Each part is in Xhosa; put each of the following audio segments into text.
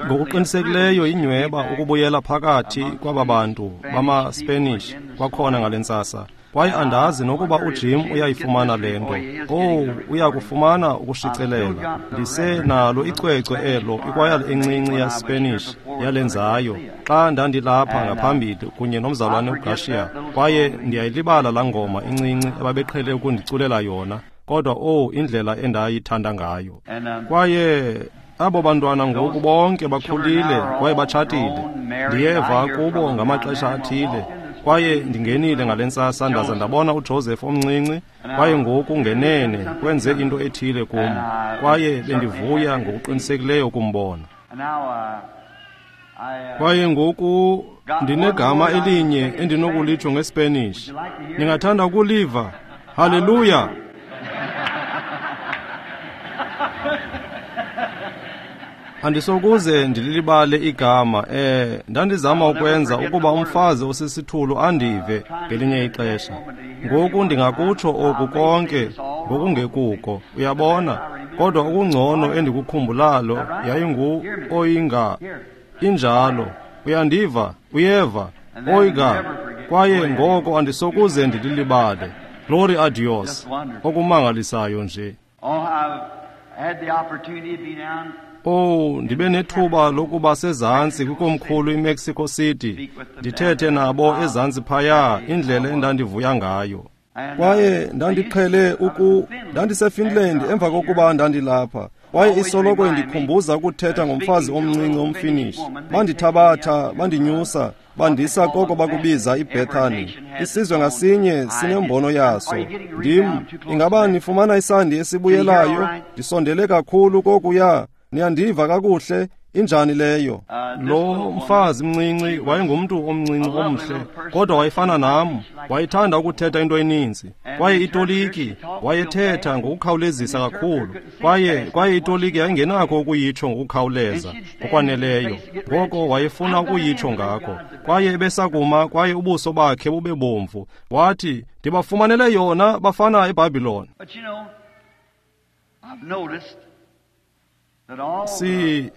Ngokuqinisekileyo inyhweba ukubuyela phakathi kwaba bantu bamaSpanish kwakhona ngale ntsasa. Kwaye andazi nokuba uJim uyayifumana le nto. Owu, uyakufumana ukushicelela. Ndisenalo icwecwe elo ikwayala encinci yaSpanish yalenzayo xa ndandilapha ngaphambili kunye nomzalwane uGarcia, kwaye ndiyayilibala laa ngoma incinci ababeqhele ukundiculela yona. Kodwa owu, indlela endayithanda ngayo. Kwaye abo bantwana ngoku bonke bakhulile kwaye batshatile. Ndiyeva kubo ngamaxesha athile. Kwaye ndingenile ngale ntsasa ndaza ndabona uJoseph omncinci, kwaye ngoku ngenene kwenze into ethile kum, kwaye bendivuya ngokuqinisekileyo ukumbona. Kwaye ngoku ndinegama elinye endinokulitsho ngeSpanish. Ningathanda ukuliva? Haleluya! Andisokuze ndililibale igama. Ndandizama ukwenza ukuba umfazi osisithulu andive ngelinye ixesha. Ngoku ndingakutsho oku konke ngokungekuko, uyabona, kodwa okungcono endikukhumbulalo yayingu oyinga. Injalo, uyandiva, uyeva, oiga, kwaye ngoko andisokuze ndililibale. Glory a Dios, okumangalisayo nje. Oh, ndibe nethuba lokuba sezantsi kwikomkhulu iMexico City, ndithethe nabo ezantsi phaya, indlela endandivuya ngayo. Kwaye ndandiqhele ndandiseFinland emva kokuba ndandilapha, kwaye isoloko indikhumbuza ukuthetha ngomfazi omncinci omFinish. Bandithabatha, bandinyusa, bandisa koko bakubiza iBethany. Isizwe ngasinye sinembono yaso. Ndim, ingaba nifumana isandi esibuyelayo? Ndisondele kakhulu kokuya. Niyandiva kakuhle? Injani leyo? Lo mfazi mncinci wayengumntu omncinci omhle, kodwa wayefana nam. Wayethanda ukuthetha into eninzi, kwaye itoliki wayethetha ngokukhawulezisa kakhulu, kwaye itoliki yayingenakho ukuyitsho ngokukhawuleza ngokwaneleyo. Ngoko wayefuna ukuyitsho ngakho, kwaye ebesakuma, kwaye ubuso bakhe bube bomvu. Wathi, ndibafumanele yona bafana eBhabhiloni.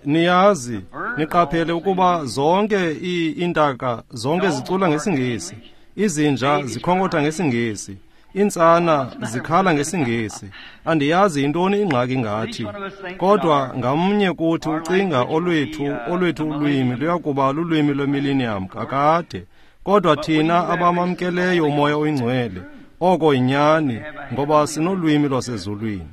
Niyazi, niqaphele ukuba zonke iintaka zonke zicula ngesiNgesi, izinja zikhonkotha ngesiNgesi, iintsana zikhala ngesiNgesi. Andiyazi yintoni ingxaki ngathi, kodwa ngamnye kuthi ucinga olwethu ulwimi luyakuba lulwimi lwemillennium kakade. Kodwa thina abamamkeleyo uMoya oyiNgcwele, oko yinyani, ngoba sinolwimi lwasezulwini.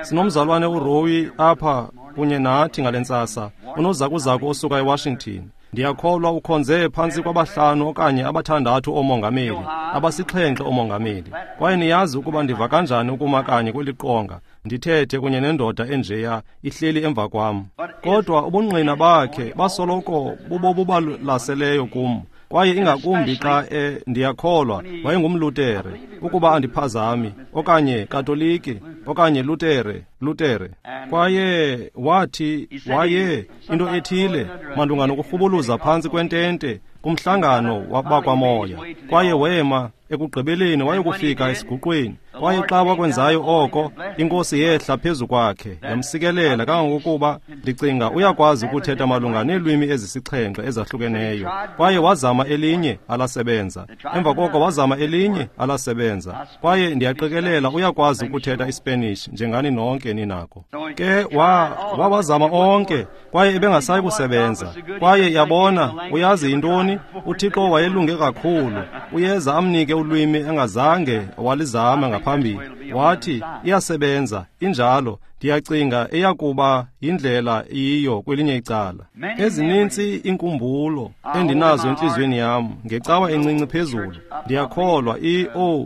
Sinomzalwane uRoy apha kunye nathi ngale ntsasa, unozakuzaku osuka eWashington. Ndiyakholwa ukhonze phantsi kwabahlanu okanye abathandathu oomongameli, abasixhenxe oomongameli. Kwaye niyazi ukuba ndiva kanjani ukuma kanye kweli qonga, ndithethe kunye nendoda enjeya ihleli emva kwam. Kodwa ubungqina bakhe basoloko bubobubalaseleyo kum, kwaye ingakumbi xa ndiyakholwa wayengumLutere, ukuba andiphazami, okanye Katoliki, okanye Lutere. Kwaye wathi waye into ethile malunga nokurhubuluza phantsi kwentente kumhlangano wakwamoya, kwaye wema ekugqibeleni wayokufika esiguqweni. Kwaye xa wakwenzayo oko, iNkosi yehla phezu kwakhe yamsikelela kangangokuba ndicinga uyakwazi ukuthetha malunga neelwimi ezisixhenxe ezahlukeneyo. Kwaye wazama elinye alasebenza, emva koko wazama elinye alasebenza. Kwaye ndiyaqikelela uyakwazi ukuthetha iSpanish njengani nonke ninako. Ke wawazama onke, kwaye ebengasayi kusebenza. Kwaye yabona, uyazi yintoni? uThixo wayelunge kakhulu, uyeza amnike ulwimi engazange walizama ngaphambili. Wathi, iyasebenza, injalo. Ndiyacinga eyakuba yindlela iyiyo kwelinye icala. Ezinintsi inkumbulo endinazo entliziyweni yam ngecawa encinci phezulu. Ndiyakholwa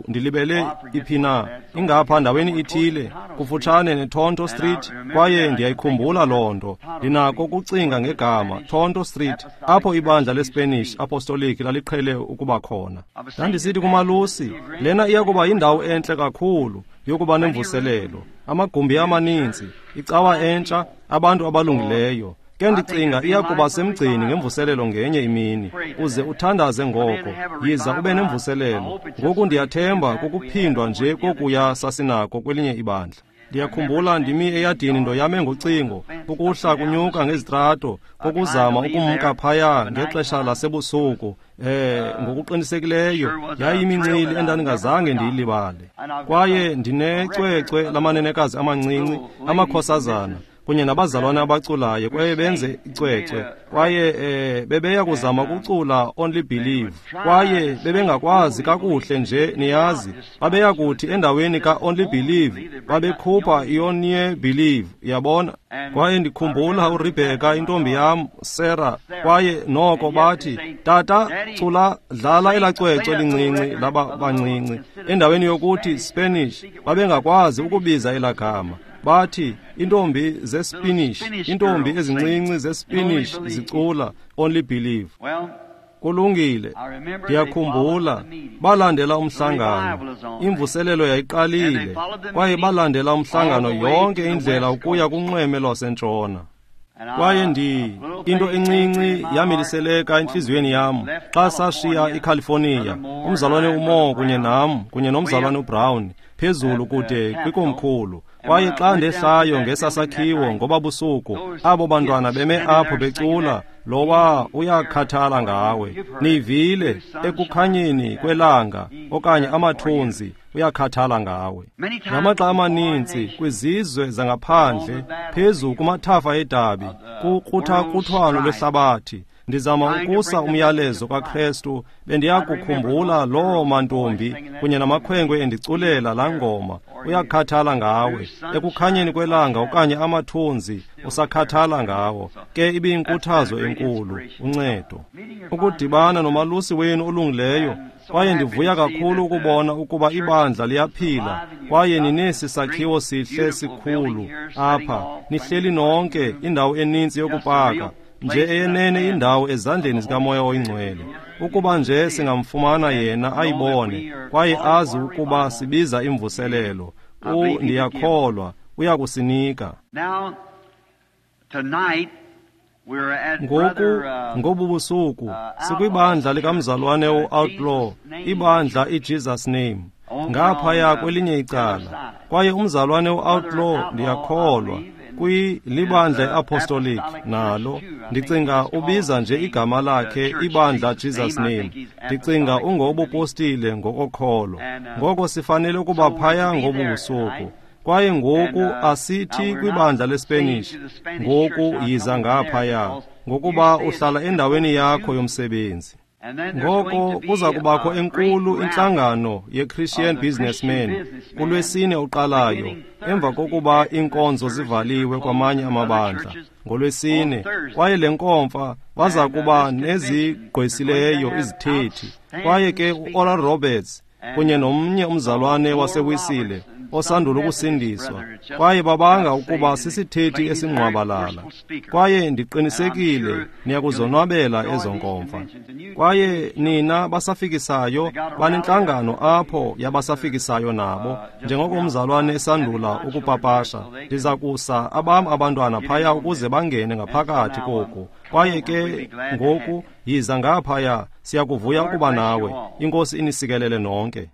ndilibele iphi na, ingapha ndaweni ithile kufutshane neTonto Street, kwaye ndiyayikhumbula loo nto. Ndinako ukucinga ngegama Tonto Street, apho ibandla leSpanish Apostolic laliqhele ukuba khona. Ndandisithi kumalusi, lena iyakuba yindawo entle kakhulu yokuba nemvuselelo, amagumbi amaninzi, icawa entsha, abantu abalungileyo. Ke ndicinga iyakuba semgcini ngemvuselelo ngenye imini. Uze uthandaze ngoko, yiza ube nemvuselelo. Ngoku ndiyathemba kukuphindwa nje kokuya sasinako kwelinye ibandla. Ndiyakhumbula ndimi eyadini ndoyame ngocingo, ukuhla kunyuka ngezitrato, kokuzama ukumka phaya ngexesha lasebusuku. Ngokuqinisekileyo yayimincili endandingazange ndiyilibale. Kwaye ndinecwecwe lamanenekazi amancinci, amakhosazana kunye nabazalwana abaculayo, kwaye benze icwecwe, kwaye bebeya kuzama ukucula Only Believe, kwaye bebengakwazi kakuhle nje, niyazi. Babeya kuthi endaweni ka-Only Believe babekhupha i-Only Believe, yabona. Kwaye ndikhumbula uRebecca, intombi yam, Sarah, kwaye noko bathi, "Tata, cula, dlala elaa cwecwe lincinci laba bancinci." Endaweni yokuthi Spanish, babengakwazi ukubiza elaa gama. Bathi intombi zeSpanish, intombi ezincinci zeSpanish zicula Only Believe. Kulungile, ndiyakhumbula balandela umhlangano. Imvuselelo yayiqalile, kwaye balandela umhlangano yonke indlela ukuya kunxweme lwasentshona. Kwaye into encinci yamiliseleka entliziyweni yam xa sashiya iCalifornia, umzalwane uMoore kunye nam kunye nomzalwane uBrown phezulu kude kwikomkhulu. Kwaye xa ndehlayo ngesasakhiwo ngoba busuku, abo bantwana beme apho becula, lowa uyakhathala ngawe. Niyivile ekukhanyeni kwelanga okanye amathunzi, uyakhathala ngawe. Ngamaxa amaninzi kwizizwe zangaphandle, phezu kumathafa edabi, kukruthakuthwano lwehlabathi, ndizama ukusa umyalezo kaKrestu. Bendiyakukhumbula loo mantombi kunye namakhwenkwe endiculela laa ngoma, uyakhathala ngawe. Ekukhanyeni kwelanga okanye amathunzi, usakhathala ngawo. Ke ibiyinkuthazo enkulu, uncedo. Ukudibana nomalusi wenu olungileyo, kwaye ndivuya kakhulu ukubona ukuba ibandla liyaphila, kwaye ninesi sakhiwo sihle sikhulu apha, nihleli nonke, indawo eninzi yokupaka, nje eyenene indawo ezandleni zikaMoya oyiNgcwele. Ukuba nje singamfumana yena ayibone, kwaye azi ukuba sibiza imvuselelo, ndiyakholwa uyakusinika. Ngoku ngobu busuku sikwibandla likamzalwane u-Outlaw, ibandla iJesus Name, ngaphaya kwelinye icala. Kwaye umzalwane u-Outlaw, ndiyakholwa, kwilibandla iApostolic nalo, ndicinga ubiza nje igama lakhe ibandla Jesus Name. Ndicinga ungowobupostile ngokokholo. Ngoko sifanele ukuba phaya ngobu busuku. Kwaye ngoku asithi kwibandla leSpanish, ngoku yiza ngaphaya, ngokuba uhlala endaweni yakho yomsebenzi. Ngoko kuza kubakho enkulu intlangano ye-Christian Businessmen kulwesine uqalayo, emva kokuba iinkonzo zivaliwe kwamanye amabandla ngolwesine. Kwaye le nkomfa baza kuba nezigqwesileyo izithethi. Kwaye ke u-Oral Roberts kunye nomnye umzalwane waseWisile osandula ukusindiswa, kwaye babanga ukuba sisithethi esingqwabalala. Kwaye ndiqinisekile niyakuzonwabela ezo nkomfa. Kwaye nina basafikisayo banentlangano apho yabasafikisayo nabo, njengoko umzalwane esandula ukupapasha. Ndiza kusa abam abantwana phaya ukuze bangene ngaphakathi koku. Kwaye ke ngoku yiza ngaphaya, siyakuvuya ukuba nawe. INkosi inisikelele nonke.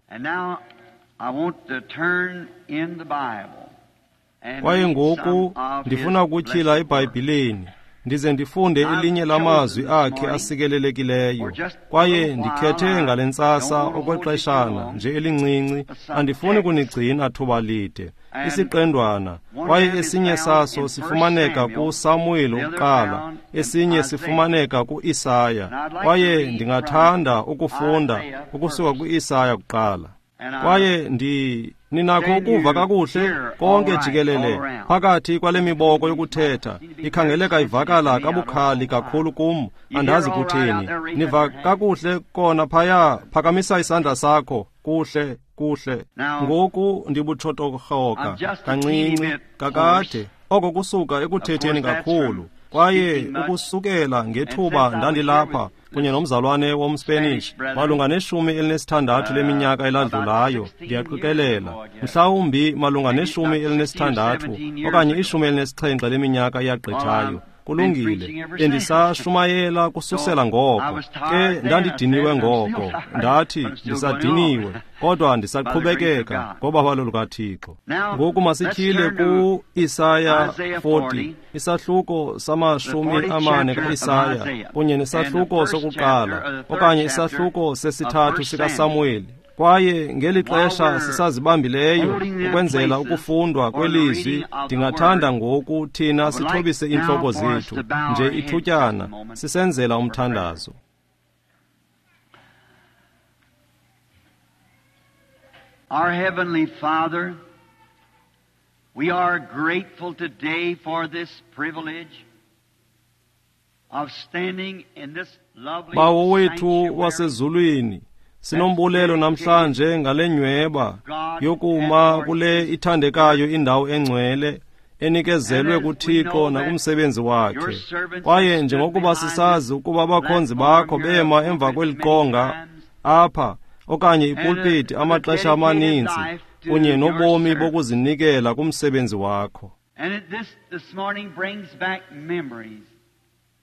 Kwaye ngoku ndifuna ukutyhila eBhayibhileni, ndize ndifunde elinye lamazwi akhe asikelelekileyo. Kwaye ndikhethe ngale ntsasa okwexeshana nje elincinci, andifuni kunigcina thuba lide, isiqendwana. Kwaye esinye saso sifumaneka kuSamuel wokuqala, esinye sifumaneka kuIsaya. Kwaye ndingathanda ukufunda ukusuka kuIsaya kuqala. Kwaye ninakho ukuva kakuhle konke jikelele phakathi kwale miboko yokuthetha, ikhangeleka ivakala kabukhali kakhulu kum, andazi kutheni. Niva kakuhle kona phaya? Phakamisa isandla sakho. Kuhle, kuhle. Ngoku ndibutshotorhoka kancinci kakade, oko kusuka ekuthetheni kakhulu. Kwaye ukusukela ngethuba ndandilapha kunye nomzalwane womSpanish malunga ne-16 leminyaka eladlulayo, ndiyaqikelela mhlawumbi malunga ne-16 okanye 17 leminyaka eyagqithayo. Kulungile, bendisashumayela kususela ngoko. Ke ndandidiniwe ngoko, ndathi ndisadiniwe, kodwa ndisaqhubekeka ngobabalo lukaThixo. Ngoku masityhile ku-Isaya 40, isahluko sama-40 ka-Isaya, kunye nesahluko sokuqala, okanye isahluko sesithathu sikaSamuweli. Kwaye ngeli xesha sisazibambileyo ukwenzela ukufundwa kwelizwi, ndingathanda ngoku thina sithobise iintloko zethu nje ithutyana sisenzela umthandazo. Our Heavenly Father, we are grateful today for this privilege of standing in this lovely Bawo wethu sanctuary. wasezulwini, sinombulelo namhlanje ngale nyweba yokuma kule ithandekayo indawo engcwele enikezelwe kuThixo nakumsebenzi wakhe. Kwaye njengokuba sisazi ukuba abakhonzi bakho bema emva kweli qonga apha okanye ipulpiti amaxesha amaninzi kunye nobomi bokuzinikela kumsebenzi wakho. And this morning brings back memories.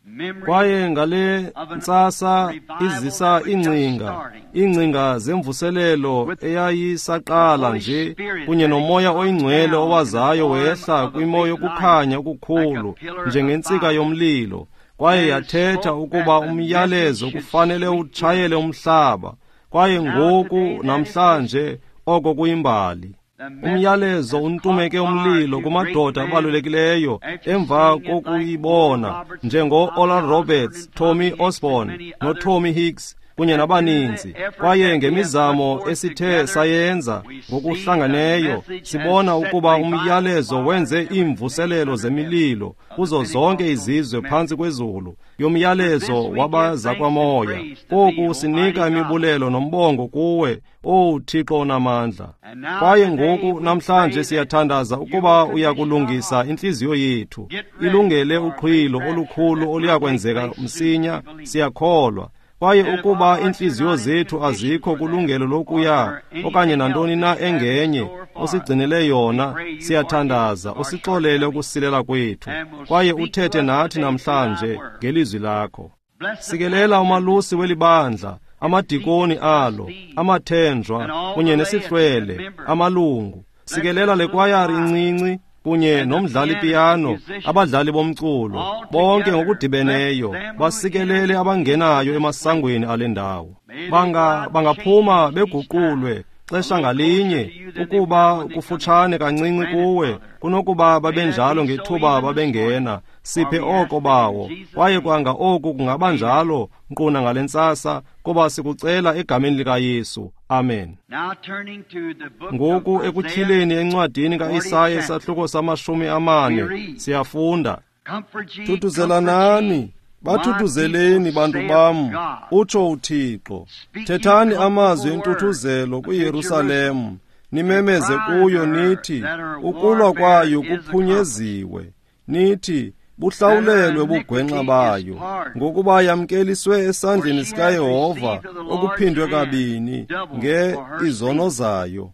Memories Kwaye ngale ntsasa izisa iingcinga zemvuselelo eyayisaqala nje kunye nomoya oyingcwele owazayo wehla kwimo yokukhanya okukhulu njengentsika yomlilo, kwaye yathetha ukuba umyalezo kufanele utshayele umhlaba. Kwaye ngoku namhlanje oko kuyimbali. Umyalezo untumeke umlilo kumadoda abalulekileyo emva kokuyibona njengo-Oral Roberts, Tommy Osborne noTommy Hicks kunye nabaninzi. Kwaye ngemizamo esithe sayenza ngokuhlanganeyo sibona ukuba umyalezo wenze iimvuselelo zemililo kuzo zonke izizwe phantsi kwezulu yomyalezo wabazakwamoya. Koku sinika imibulelo nombongo kuwe, Owu Thixo onamandla. Kwaye ngoku namhlanje siyathandaza ukuba uyakulungisa intliziyo yethu ilungele uqhwilo olukhulu oluyakwenzeka msinya, siyakholwa. Kwaye ukuba iintliziyo zethu azikho kulungelo lokuya okanye nantoni na engenye osigcinele yona, siyathandaza usixolele ukusilela kwethu, kwaye uthethe nathi namhlanje ngelizwi lakho. Sikelela umalusi welibandla, amadikoni alo, amathenjwa kunye nesihlwele, amalungu. Sikelela le kwayari incinci kunye nomdlali piyano, abadlali bomculo, bonke ngokudibeneyo basikelele abangenayo emasangweni ale ndawo. Bangaphuma beguqulwe xesha ngalinye ukuba kufutshane kancinci kuwe kunokuba babenjalo ngethuba babengena. Siphe oko bawo, kwaye kwanga oku kungaba njalo nkquna ngale ntsasa, kuba sikucela egameni likaYesu. Amen. Now turning to the book Ngoku of Isaiah, ekutyhileni encwadini kaIsaya isahluko sama-40 siyafunda. comfort ye, Thuthuzelanani, comfort ye, bathuthuzeleni bantu bam, utsho uThixo. Thethani amazwi entuthuzelo kwiYerusalem, nimemeze kuyo nithi, ukulwa kwayo kuphunyeziwe. Nithi, buhlawulelwe ubugwenxa bayo, ngokuba yamkeliswe esandleni sikaYehova okuphindwe kabini nge izono zayo.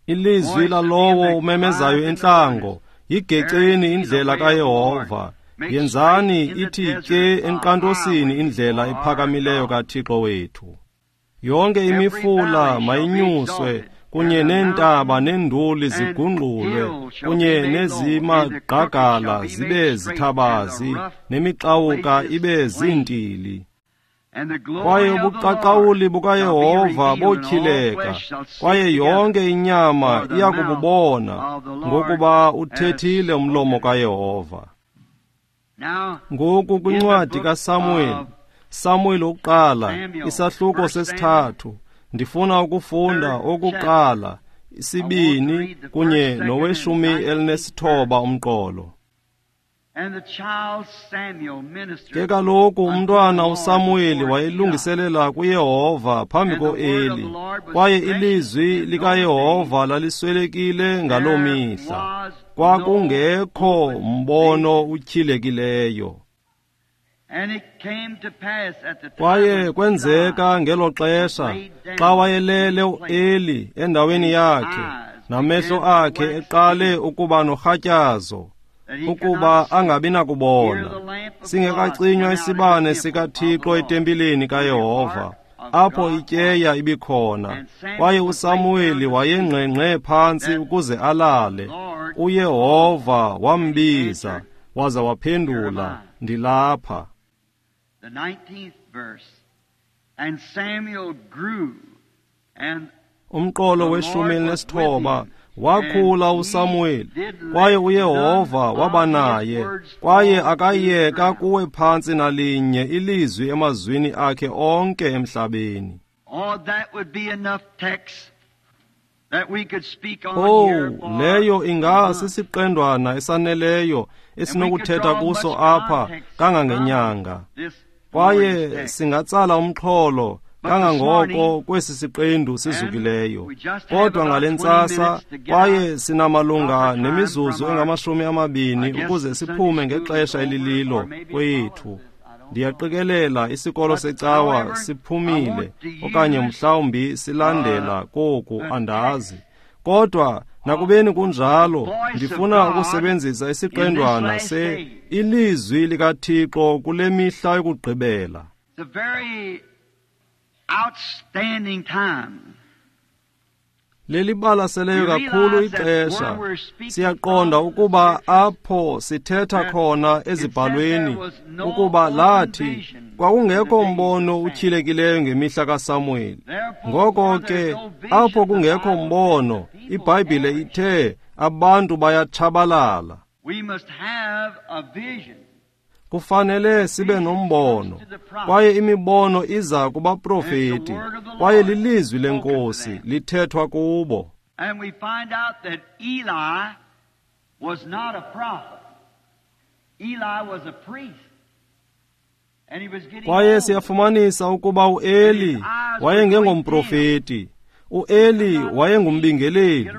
Ilizwi lalowo umemezayo entlango, yigeceni indlela kaYehova, yenzani ithi tye enkqantosini indlela ephakamileyo kaThixo wethu. Yonke imifula mayinyuswe, kunye neentaba neenduli zigungqulwe, kunye nezimagqagala zibe zithabazi, nemixawuka ibe ziintili. And the glory Kwaye of the ubuqaqawuli Lord shall be bukaYehova revealed, and all botyhileka, flesh shall see kwaye together. yonke inyama For the iya kububona, mouth of the Lord ngokuba uthethile has umlomo spoken. kaYehova. Now, Ngoku kwincwadi kaSamuel, Samuel wokuqala, isahluko sesithathu, ndifuna ukufunda okokuqala, isibini kunye noweshumi elinesithoba umqolo. and the child Samuel ministered Ke kaloku unto umntwana the Lord uSamuweli before Eli. wayelungiselela kuYehova phambi And the word of koEli, the Lord was kwaye precious ilizwi in those likaYehova laliswelekile ngaloo There mihla. was no Kwakungekho open mbono utyhilekileyo. And it came to pass at the time Kwaye when kwenzeka ngelo xesha xa wayelele uEli endaweni yakhe, namehlo akhe eqale ukuba norhatyazo, ukuba angabi nakubona. Singekacinywa isibane sikaThixo etempileni kaYehova, apho ityeya ibikhona, kwaye uSamuweli wayengqengqe phantsi ukuze alale. uYehova wambiza, waza waphendula, ndilapha. The 19th verse. And Samuel grew, and Umqolo we-19, wakhula uSamuweli, kwaye uYehova waba naye, kwaye akayeka kuwe phantsi nalinye ilizwi emazwini akhe onke emhlabeni. Oh, that would be enough text that we could speak on Oh, here for leyo a ingasisiqendwana esaneleyo esinokuthetha kuso apha kangangenyanga. this Kwaye morning's text. singatsala umxholo kangangoko kwesi siqendu sizukileyo. Kodwa ngale ntsasa kwaye sinamalunga nemizuzu engama-20 ukuze siphume ngexesha elililo kwethu. Ndiyaqikelela isikolo secawa siphumile okanye mhlawumbi silandela koku, andazi. Kodwa nakubeni kunjalo, ndifuna ukusebenzisa isiqendwana se ilizwi likaThixo kule mihla yokugqibela. It's a very outstanding time. Lelibalaseleyo kakhulu ixesha. Siyaqonda ukuba apho sithetha khona ezibhalweni ukuba lathi kwakungekho mbono utyhilekileyo ngemihla kaSamuweli. Ngoko ke apho kungekho mbono, iBhayibhile ithe abantu bayatshabalala. We must have a vision. Kufanele sibe nombono, kwaye imibono iza kubaprofeti, kwaye lilizwi leNkosi lithethwa kubo. And we find out that Eli was not a prophet. Eli was a priest. And he was getting Kwaye old. siyafumanisa ukuba uEli wayengengomprofeti. uEli wayengumbingeleli,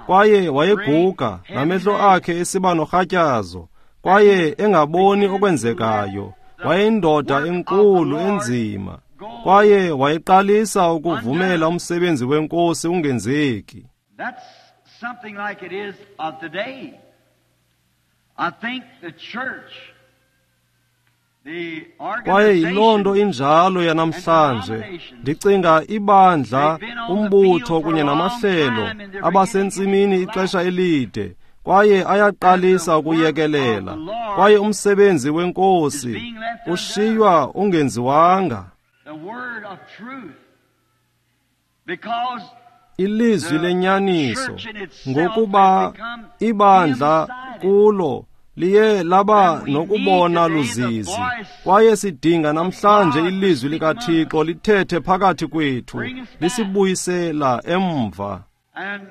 kwaye wayeguga, namehlo akhe esiba norhatyazo, kwaye engaboni okwenzekayo. Wayeyindoda enkulu enzima, kwaye wayeqalisa ukuvumela umsebenzi weNkosi ungenzeki. That's something like it is of today. I think the church, the Kwaye yiloo nto organization, injalo yanamhlanje. Ndicinga ibandla, umbutho kunye namahlelo abasentsimini ixesha elide, kwaye ayaqalisa ukuyekelela. Kwaye umsebenzi weNkosi ushiywa ungenziwanga. the word of truth, because Ilizwi lenyaniso, ngokuba ibandla kulo liye laba nokubona luzizi. Kwaye sidinga namhlanje ilizwi likaThixo lithethe phakathi kwethu, lisibuyisela emva. and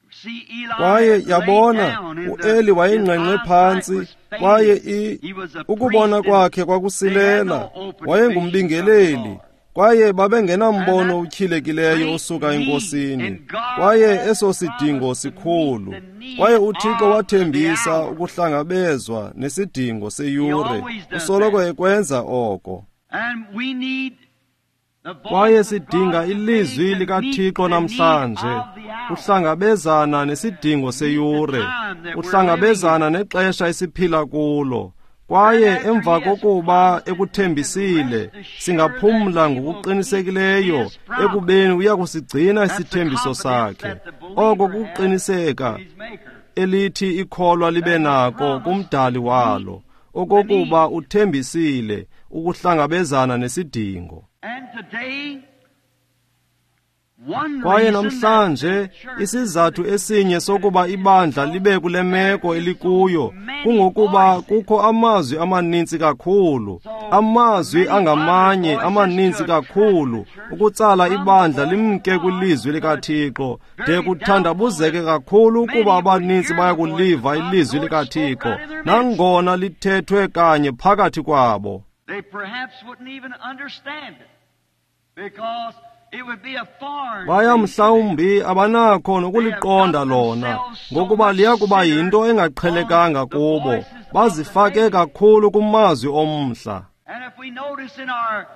see Eli Kwaye laid yabona down and uEli his wayengqengqe eyesight phantsi, was failing. kwaye He was a ukubona priest and kwakhe kwakusilela. Wayengumbingeleli, kwaye babengenambono utyhilekileyo osuka eNkosini. Kwaye eso sidingo sikhulu. Kwaye uThixo wathembisa ukuhlangabezwa nesidingo seyure. Usoloko ekwenza oko. And we need the voice Kwaye of sidinga God ilizwi today to meet likaThixo the need namhlanje of the hour. uhlangabezana nesidingo seyure, uhlangabezana nexesha esiphila kulo. Kwaye emva kokuba ekuthembisile, singaphumla ngokuqinisekileyo ekubeni uyakusigcina isithembiso sakhe. Oko kuqiniseka His maker. elithi ikholwa libe nako kumdali walo, okokuba uthembisile ukuhlangabezana nesidingo. And today, one Kwaye reason namhlanje that the church isizathu esinye sokuba ibandla libe kule meko elikuyo kungokuba kukho amazwi amaninzi kakhulu, amazwi angamanye amaninzi kakhulu ukutsala ibandla limke kwilizwi likaThixo de kuthandabuzeke kakhulu ukuba abaninzi bayakuliva ilizwi likaThixo nangona lithethwe kanye phakathi kwabo. They perhaps wouldn't even understand it because it would be a foreign Baya thing to them. mhlawumbi abanakho nokuliqonda lona, ngokuba liya kuba yinto engaqhelekanga kubo. Bazifake kakhulu kumazwi omhla. And if we notice in our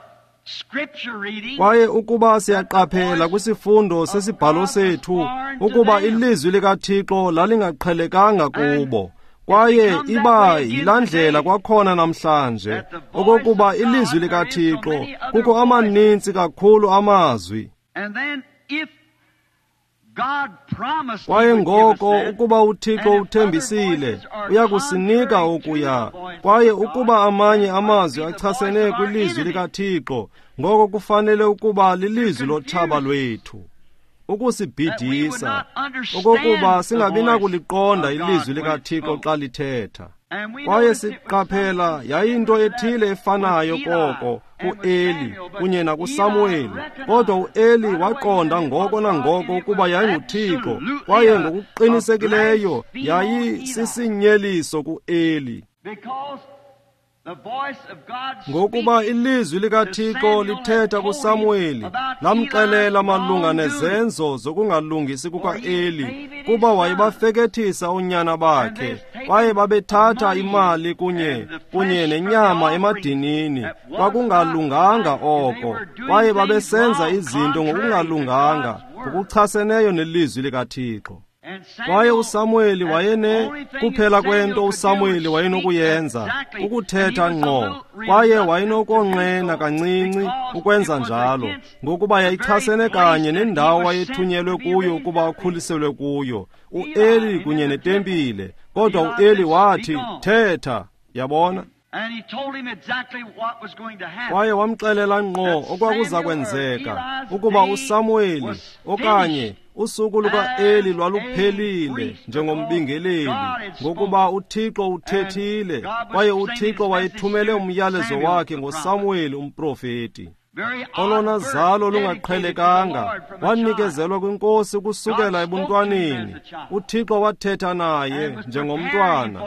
scripture reading, Kwaye ukuba siyaqaphela kwisifundo sesibhalo sethu ukuba ilizwi likaThixo lalingaqhelekanga kubo. Kwaye iba yilaa ndlela kwakhona namhlanje, okokuba ilizwi likaThixo, kukho amaninzi kakhulu amazwi. Kwaye ngoko ukuba uThixo uthembisile, uyakusinika okuya. Kwaye ukuba amanye amazwi achasene kwilizwi likaThixo, ngoko kufanele ukuba lilizwi lotshaba lwethu, ukusibhidisa, okokuba singabi nakuliqonda ilizwi likaThixo xa lithetha. Kwaye siqaphela yayinto ethile efanayo koko kuEli kunye nakuSamuweli, kodwa uEli waqonda ngoko nangoko ukuba yayinguThixo, kwaye ngokuqinisekileyo yayisisinyeliso kuEli. Ngokuba ilizwi likaThixo lithetha kuSamuweli, lamxelela malunga nezenzo zokungalungisi kukaEli, kuba wayebafekethisa oonyana bakhe, kwaye babethatha imali kunye nenyama emadinini. Kwakungalunganga oko, kwaye babesenza izinto ngokungalunganga, ngokuchaseneyo nelizwi likaThixo. Kwaye uSamuweli wayene kuphela kwento uSamuweli wayenokuyenza ukuthetha ngqo, kwaye wayenokonqena kancinci ukwenza njalo, ngokuba yayichasene kanye nendawo wayethunyelwe kuyo ukuba akhuliselwe kuyo, uEli kunye netempile. Kodwa uEli wathi, "Thetha." Yabona? Kwaye wamxelela ngqo okwakuza kwenzeka, ukuba uSamuweli okanye usuku lukaEli lwaluphelile njengombingeleli, ngokuba uThixo uthethile, kwaye uThixo wayethumele umyalezo wakhe ngoSamuweli umprofeti. Olona zalo lungaqhelekanga wanikezelwa kwinkosi kusukela ebuntwaneni. UThixo wathetha naye njengomntwana,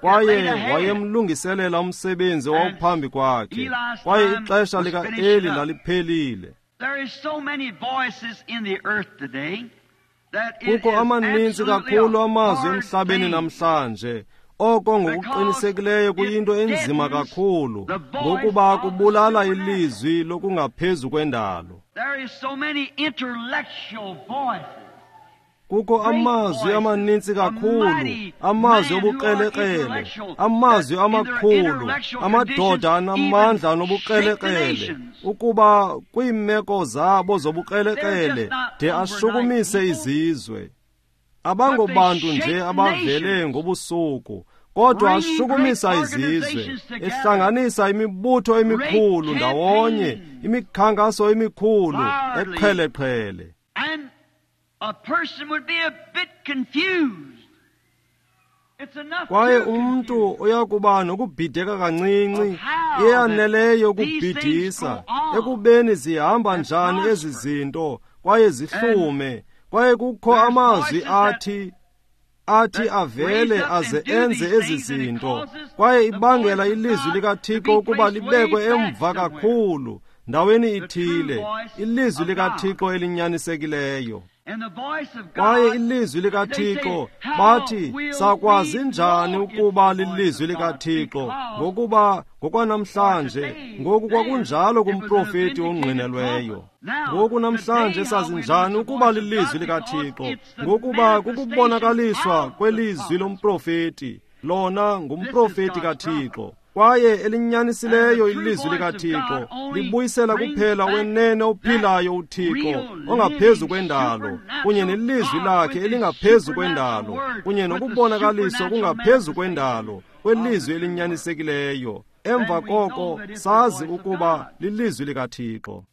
kwaye wayemlungiselela umsebenzi owawuphambi kwakhe, kwaye ixesha likaEli laliphelile. Kukho amaninzi kakhulu amazwi emhlabeni namhlanje, oko ngokuqinisekileyo kuyinto enzima kakhulu, ngokuba kubulala ilizwi lokungaphezu kwendalo. Kukho amazwi amaninzi kakhulu, amazwi obukrelekrele, amazwi amakhulu, amadoda anamandla anobukrelekrele, ukuba kwiimeko zabo zobukrelekrele de ashukumise izizwe. Abangobantu nje abavele ngobusuku, kodwa ashukumisa izizwe, ehlanganisa imibutho emikhulu ndawonye, imikhankaso emikhulu eqheleqhele. Kwaye umntu uyakuba nokubhideka kancinci, eyaneleyo ukubhidisa ekubeni zihamba njani ezi zinto, kwaye zihlume. Kwaye kukho amazwi athi avele aze enze ezi zinto, kwaye ibangela ilizwi likaThixo ukuba libekwe emva kakhulu ndaweni ithile, ilizwi likaThixo elinyanisekileyo. Kwaye ilizwi likaThixo, bathi, sakwazi njani ukuba lilizwi likaThixo? Ngokuba ngokwanamhlanje, ngoku kwakunjalo kumprofeti ongqinelweyo. Ngoku namhlanje sazi njani ukuba lilizwi likaThixo? Ngokuba kukubonakaliswa kwelizwi lomprofeti. Lona ngumprofeti kaThixo. Kwaye elinyanisileyo ilizwi likaThixo libuyisela kuphela wenene ophilayo uThixo ongaphezu kwendalo, kunye nelizwi lakhe elingaphezu kwendalo, kunye nokubonakaliswa kungaphezu kwendalo kwelizwi elinyanisekileyo. Emva koko sazi ukuba lilizwi likaThixo.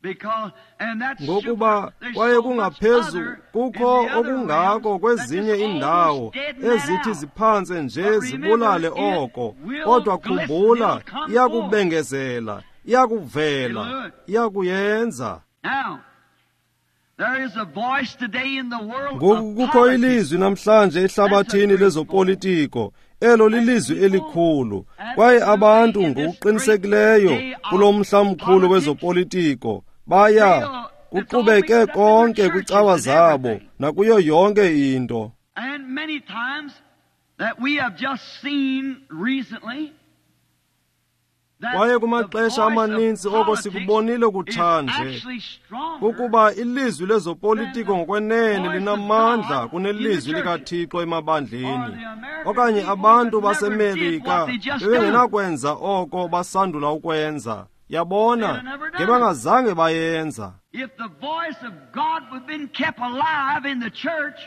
Ngokuba kwaye kungaphezu, kukho okungako kwezinye iindawo ezithi ziphantse nje zibulale oko, kodwa khumbula, iyakubengezela, iyakuvela, iyakuyenza. Ngoku kukho ilizwi namhlanje ehlabathini lezopolitiko, elo lilizwi elikhulu, kwaye abantu ngokuqinisekileyo kulo mhla mkhulu wezopolitiko baya kuqhubeke konke kwicawa zabo nakuyo yonke into. Kwaye kumaxesha amaninzi oko sikubonile kutshanje, ukuba ilizwi lezopolitiko ngokwenene linamandla kunelizwi likaThixo emabandleni, okanye abantu baseMerika bebengenakwenza oko basandula ukwenza. Yabona, ngebangazange bayenza. If the voice of God would have been kept alive in the church,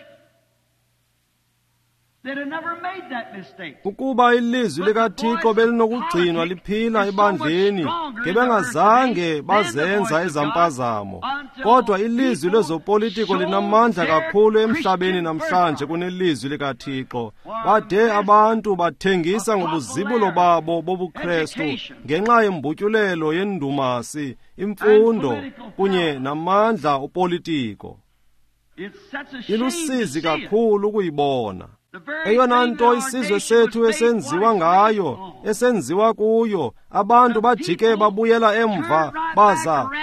they'd have never made that mistake. Ukuba ilizwi likaThixo belinokugcinwa liphila ebandleni, ngebengazange bazenza ezampazamo. Kodwa ilizwi lezopolitiko linamandla kakhulu emhlabeni namhlanje kunelizwi likaThixo. Bade abantu bathengisa ngobuzibulo babo bobuKrestu ngenxa yembutyulelo yendumasi, imfundo kunye namandla opolitiko. Ilusizi kakhulu ukuyibona. Eyona nto isizwe sethu esenziwa ngayo, esenziwa kuyo, abantu bajike babuyela emva,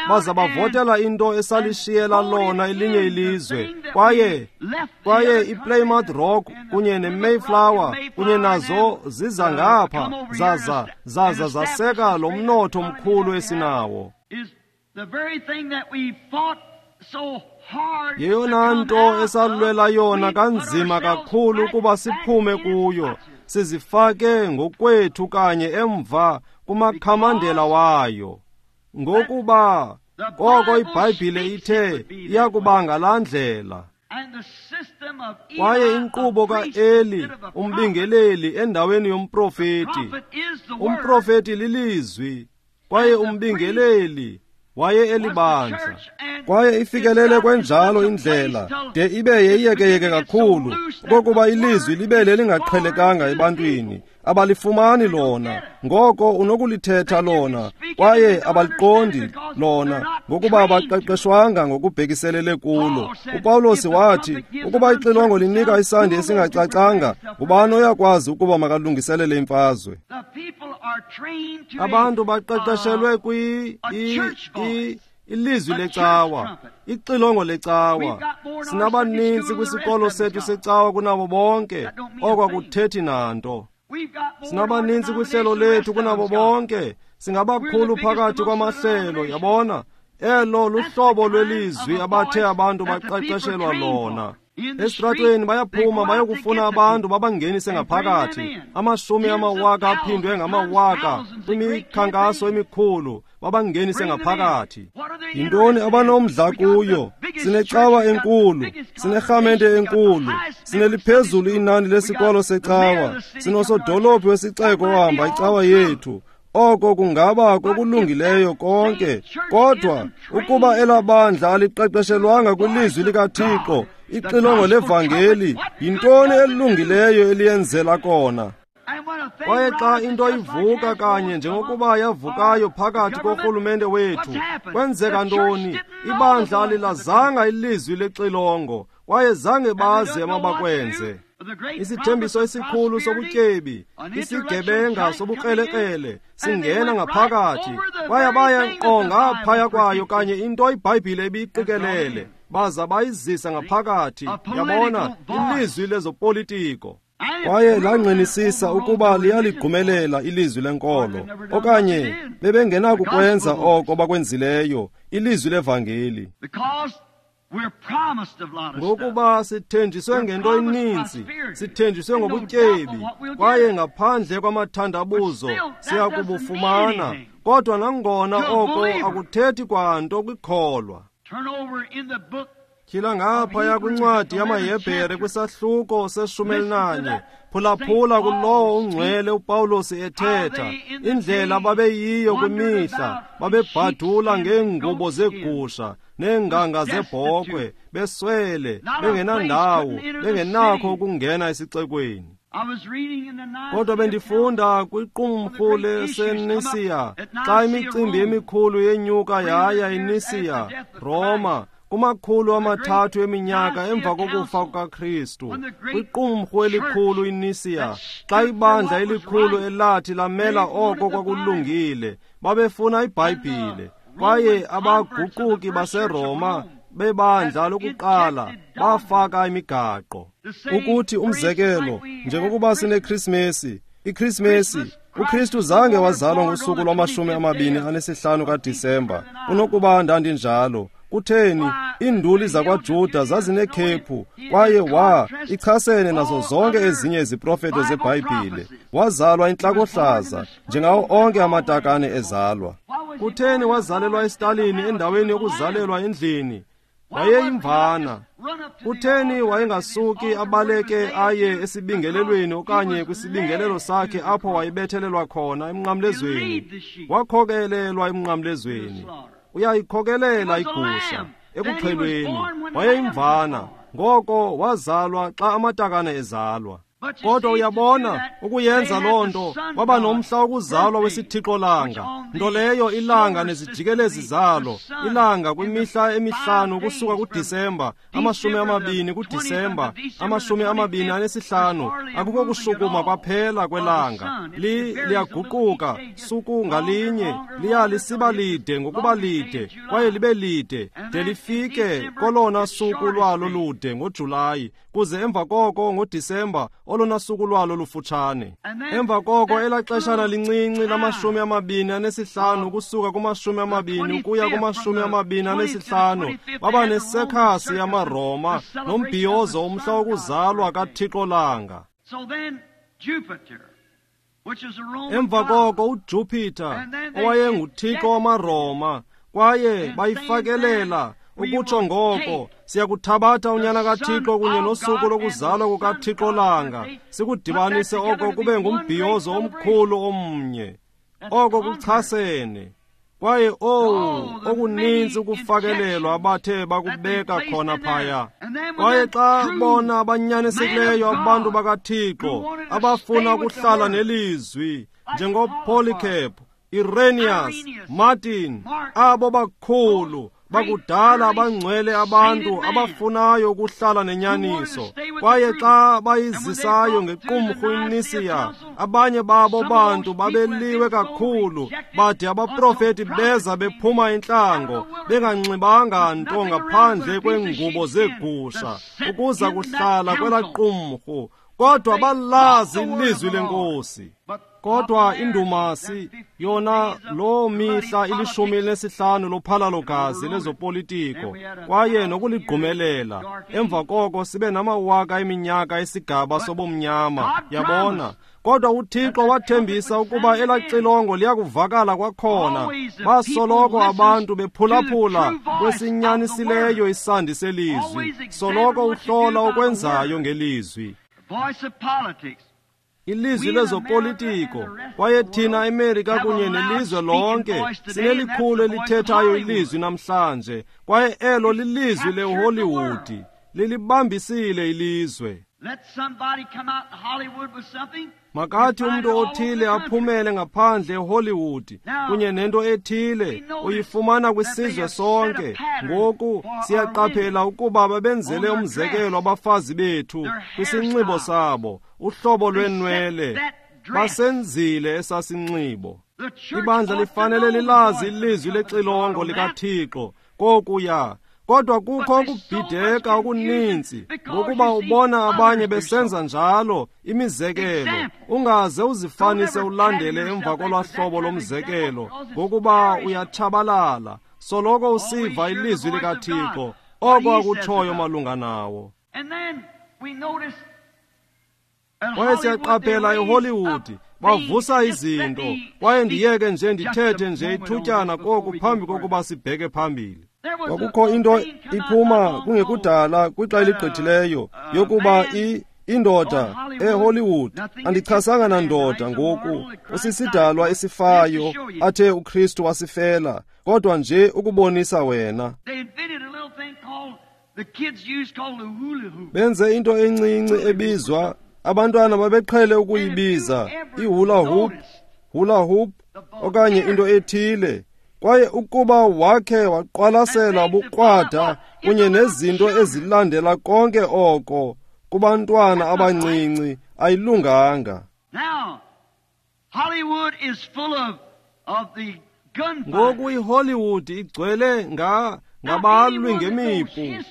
baza bavotela into esalishiyela lona elinye ilizwe. Kwaye iPlymouth Rock kunye neMayflower kunye nazo ziza ngapha, zaza zaseka lo mnotho mkhulu esinawo. Yeyona nto esalwela yona kanzima kakhulu ukuba siphume kuyo, sizifake ngokwethu kanye emva kumakhamandela wayo. Ngokuba koko iBhayibhile ithe iyakuba ngalaa ndlela. Kwaye inkqubo kaEli, umbingeleli, endaweni yomprofeti. Umprofeti lilizwi, kwaye umbingeleli waye elibandla. Kwaye ifikelele kwenjalo indlela de ibe yeyekeyeke kakhulu, okokuba ilizwi libe lelingaqhelekanga ebantwini. Abalifumani lona, ngoko unokulithetha lona, kwaye abaliqondi lona, ngokuba abaqeqeshwanga ngokubhekiselele kulo. UPawulos wathi, ukuba ixilongo linika isandi esingacacanga, ngubani oyakwazi ukuba makalungiselele imfazwe? Abantu baqeqeshelwe ilizwi lecawa, ixilongo lecawa. Sinabaninzi kwisikolo sethu secawa kunabo bonke, oko akuthethi nanto. Sinabaninzi kwihlelo lethu kunabo bonke, singabakhulu phakathi kwamahlelo. Yabona, elo luhlobo lwelizwi abathe abantu baqeqeshelwa lona. Esitratweni bayaphuma bayokufuna abantu babangenise ngaphakathi. Amashumi amawaka aphindwe ngamawaka kwimikhankaso emikhulu babangenise ngaphakathi. Yintoni abanomdla kuyo? Sinecawa enkulu, sinerhamente enkulu, sineliphezulu inani lesikolo secawa, sinosodolophu wesixeko ohamba icawa yethu. Oko kungaba kokulungileyo konke, kodwa ukuba elabandla aliqeqeshelwanga kwilizwi likaThixo, ixilongo levangeli, yintoni elungileyo eliyenzela kona? Kwaye xa into ivuka kanye njengokuba yavukayo phakathi korhulumente wethu, kwenzeka ntoni? Ibandla alilazanga ilizwi lexilongo, kwaye zange bazi amabakwenze. Isithembiso esikhulu sobutyebi, isigebenga sobukrelekrele singena ngaphakathi, kwaye baya nkqo ngaphaya kwayo kanye into iBhayibhile ebiyiqikelele, baza bayizisa ngaphakathi. Yabona, ilizwi lezopolitiko. Kwaye langqinisisa ukuba liyaligqumelela ilizwi lenkolo, okanye bebengenakukwenza oko bakwenzileyo, ilizwi levangeli. Ngokuba sithenjiswe ngento eninzi, sithenjiswe ngobutyebi, kwaye ngaphandle kwamathandabuzo siyakubufumana. Kodwa nangona oko akuthethi kwanto kwikholwa. Tyhila ngaphaya kwincwadi yamaHebhere kwisahluko se-14, phulaphula kulowo ungcwele uPawulos ethetha indlela babeyiyo kwimihla, babebhadula ngeengubo zegusha neenganga zebhokhwe, beswele, bengenandawo, bengenakho ukungena esixekweni. Kodwa bendifunda kwiqumrhu leseNisiya, xa imicimbi emikhulu yenyuka yaya eNisiya, Roma, kumakhulu amathathu eminyaka emva kokufa kukaKristu, kwiqumrhu elikhulu iNisiya, xa ibandla elikhulu elathi lamela oko kwakulungile, babefuna iBhayibhile. Kwaye abaguquki baseRoma bebandla lokuqala bafaka imigaqo. Ukuthi umzekelo, njengokuba sineKrismesi, iKrismesi, uKristu zange wazalwa ngosuku lwama-25 kaDisemba, kunokuba ndandinjalo. Kutheni? Iinduli zakwaJuda zazinekhephu, kwaye ichasene nazo zonke ezinye iziprofeto zeBhayibhile. Wazalwa intlakohlaza, njengawo onke amatakane ezalwa. Kutheni wazalelwa esitalini endaweni yokuzalelwa endlini? Wayeyimvana. Kutheni wayengasuki abaleke aye esibingelelweni okanye kwisibingelelo sakhe apho wayebethelelwa khona emnqamlezweni? Wakhokelelwa emnqamlezweni. Uyayikhokelela igusha ekuxhelweni. Wayeyimvana, ngoko wazalwa xa amatakane ezalwa. Kodwa uyabona, ukuyenza loo nto kwaba nomhla wokuzalwa wesithixo langa, nto leyo ilanga nezijikelezi zalo, ilanga kwimihla emihlanu kusuka kuDisemba, 20 kuDisemba, 25, akukho kushukuma kwaphela kwelanga. Liyaguquka suku ngalinye, liya lisiba lide ngokuba lide, kwaye libe lide de lifike kolona suku lwalo lude ngoJulayi, kuze emva koko ngoDisemba olona suku lwalo lufutshane. Emva koko elaa xeshana lincinci lama-25 ukusuka kuma-20 ukuya kuma-25 baba nesekhasi yamaRoma nombhiyozo umhla wokuzalwa kaThixo langa. Emva koko uJupiter owayenguthixo wamaRoma, kwaye bayifakelela ukutsho ngoko siyakuthabatha unyana kaThixo kunye nosuku lokuzalwa kukaThixo langa, sikudibanise oko kube ngumbhiyozo omkhulu omnye. Oko kuchasene. Kwaye okuninzi ukufakelelwa abathe bakubeka khona phaya. Kwaye xa bona abanyanisekileyo abantu bakaThixo abafuna ukuhlala nelizwi, njengoPolycarp, Irenaeus, Martin, abo bakhulu bakudala abangcwele abantu abafunayo ukuhlala nenyaniso. Kwaye xa bayizisayo ngequmrhu iNisiya, abanye babo bantu babeliwe kakhulu, bade abaprofeti beza bephuma entlango, benganxibanga nto ngaphandle kweengubo zeegusha, ukuza kuhlala kwelaa qumrhu. Kodwa balazi ilizwi lenkosi. Kodwa indumasi yona loo mihla ili-15 lophalalo-gazi lezopolitiko kwaye nokuligqumelela. Emva koko sibe namawaka eminyaka esigaba sobumnyama, yabona. Kodwa uThixo wathembisa ukuba elaa xilongo liyakuvakala kwakhona. Basoloko abantu bephulaphula kwesinyanisileyo isandi selizwi. Soloko uhlola okwenzayo ngelizwi. Ilizwi lezopolitiko, kwaye thina eMerika kunye nelizwe lonke sinelikhulu elithethayo ilizwi namhlanje, kwaye elo lilizwi leHollywood, lilibambisile ilizwe. Makathi umntu othile aphumele ngaphandle eHollywood kunye nento ethile, uyifumana kwisizwe sonke. Ngoku siyaqaphela ukuba babenzele umzekelo abafazi bethu kwisinxibo sabo, uhlobo lwenwele, basenzile esasinxibo. Ibandla lifanele lilazi ilizwi lexilongo likaThixo kokuya. Kodwa kukho ukubhideka okuninzi ngokuba ubona abanye besenza njalo imizekelo. Ungaze uzifanise ulandele emva kolwahlobo lomzekelo, ngokuba uyatshabalala. Soloko usiva ilizwi likaThixo, oko akutshoyo malunga nawo. Kwaye siyaqaphela eHollywood bavusa izinto, kwaye ndiyeke nje ndithethe nje ithutyana koku phambi kokuba sibheke phambili. Kwakukho into iphuma kungekudala kwixa eligqithileyo yokuba indoda eHollywood, andichasanga nandoda ngoku, usisidalwa esifayo athe uKristu wasifela, kodwa nje ukubonisa wena. Benze into encinci ebizwa, abantwana babeqhele ukuyibiza ihula hoop, hula hoop okanye into ethile. Kwaye ukuba wakhe waqwalasela ubukrwada kunye nezinto ezilandela konke oko kubantwana abancinci, ayilunganga. Ngoku iHollywood igcwele ngabalwi ngemipu.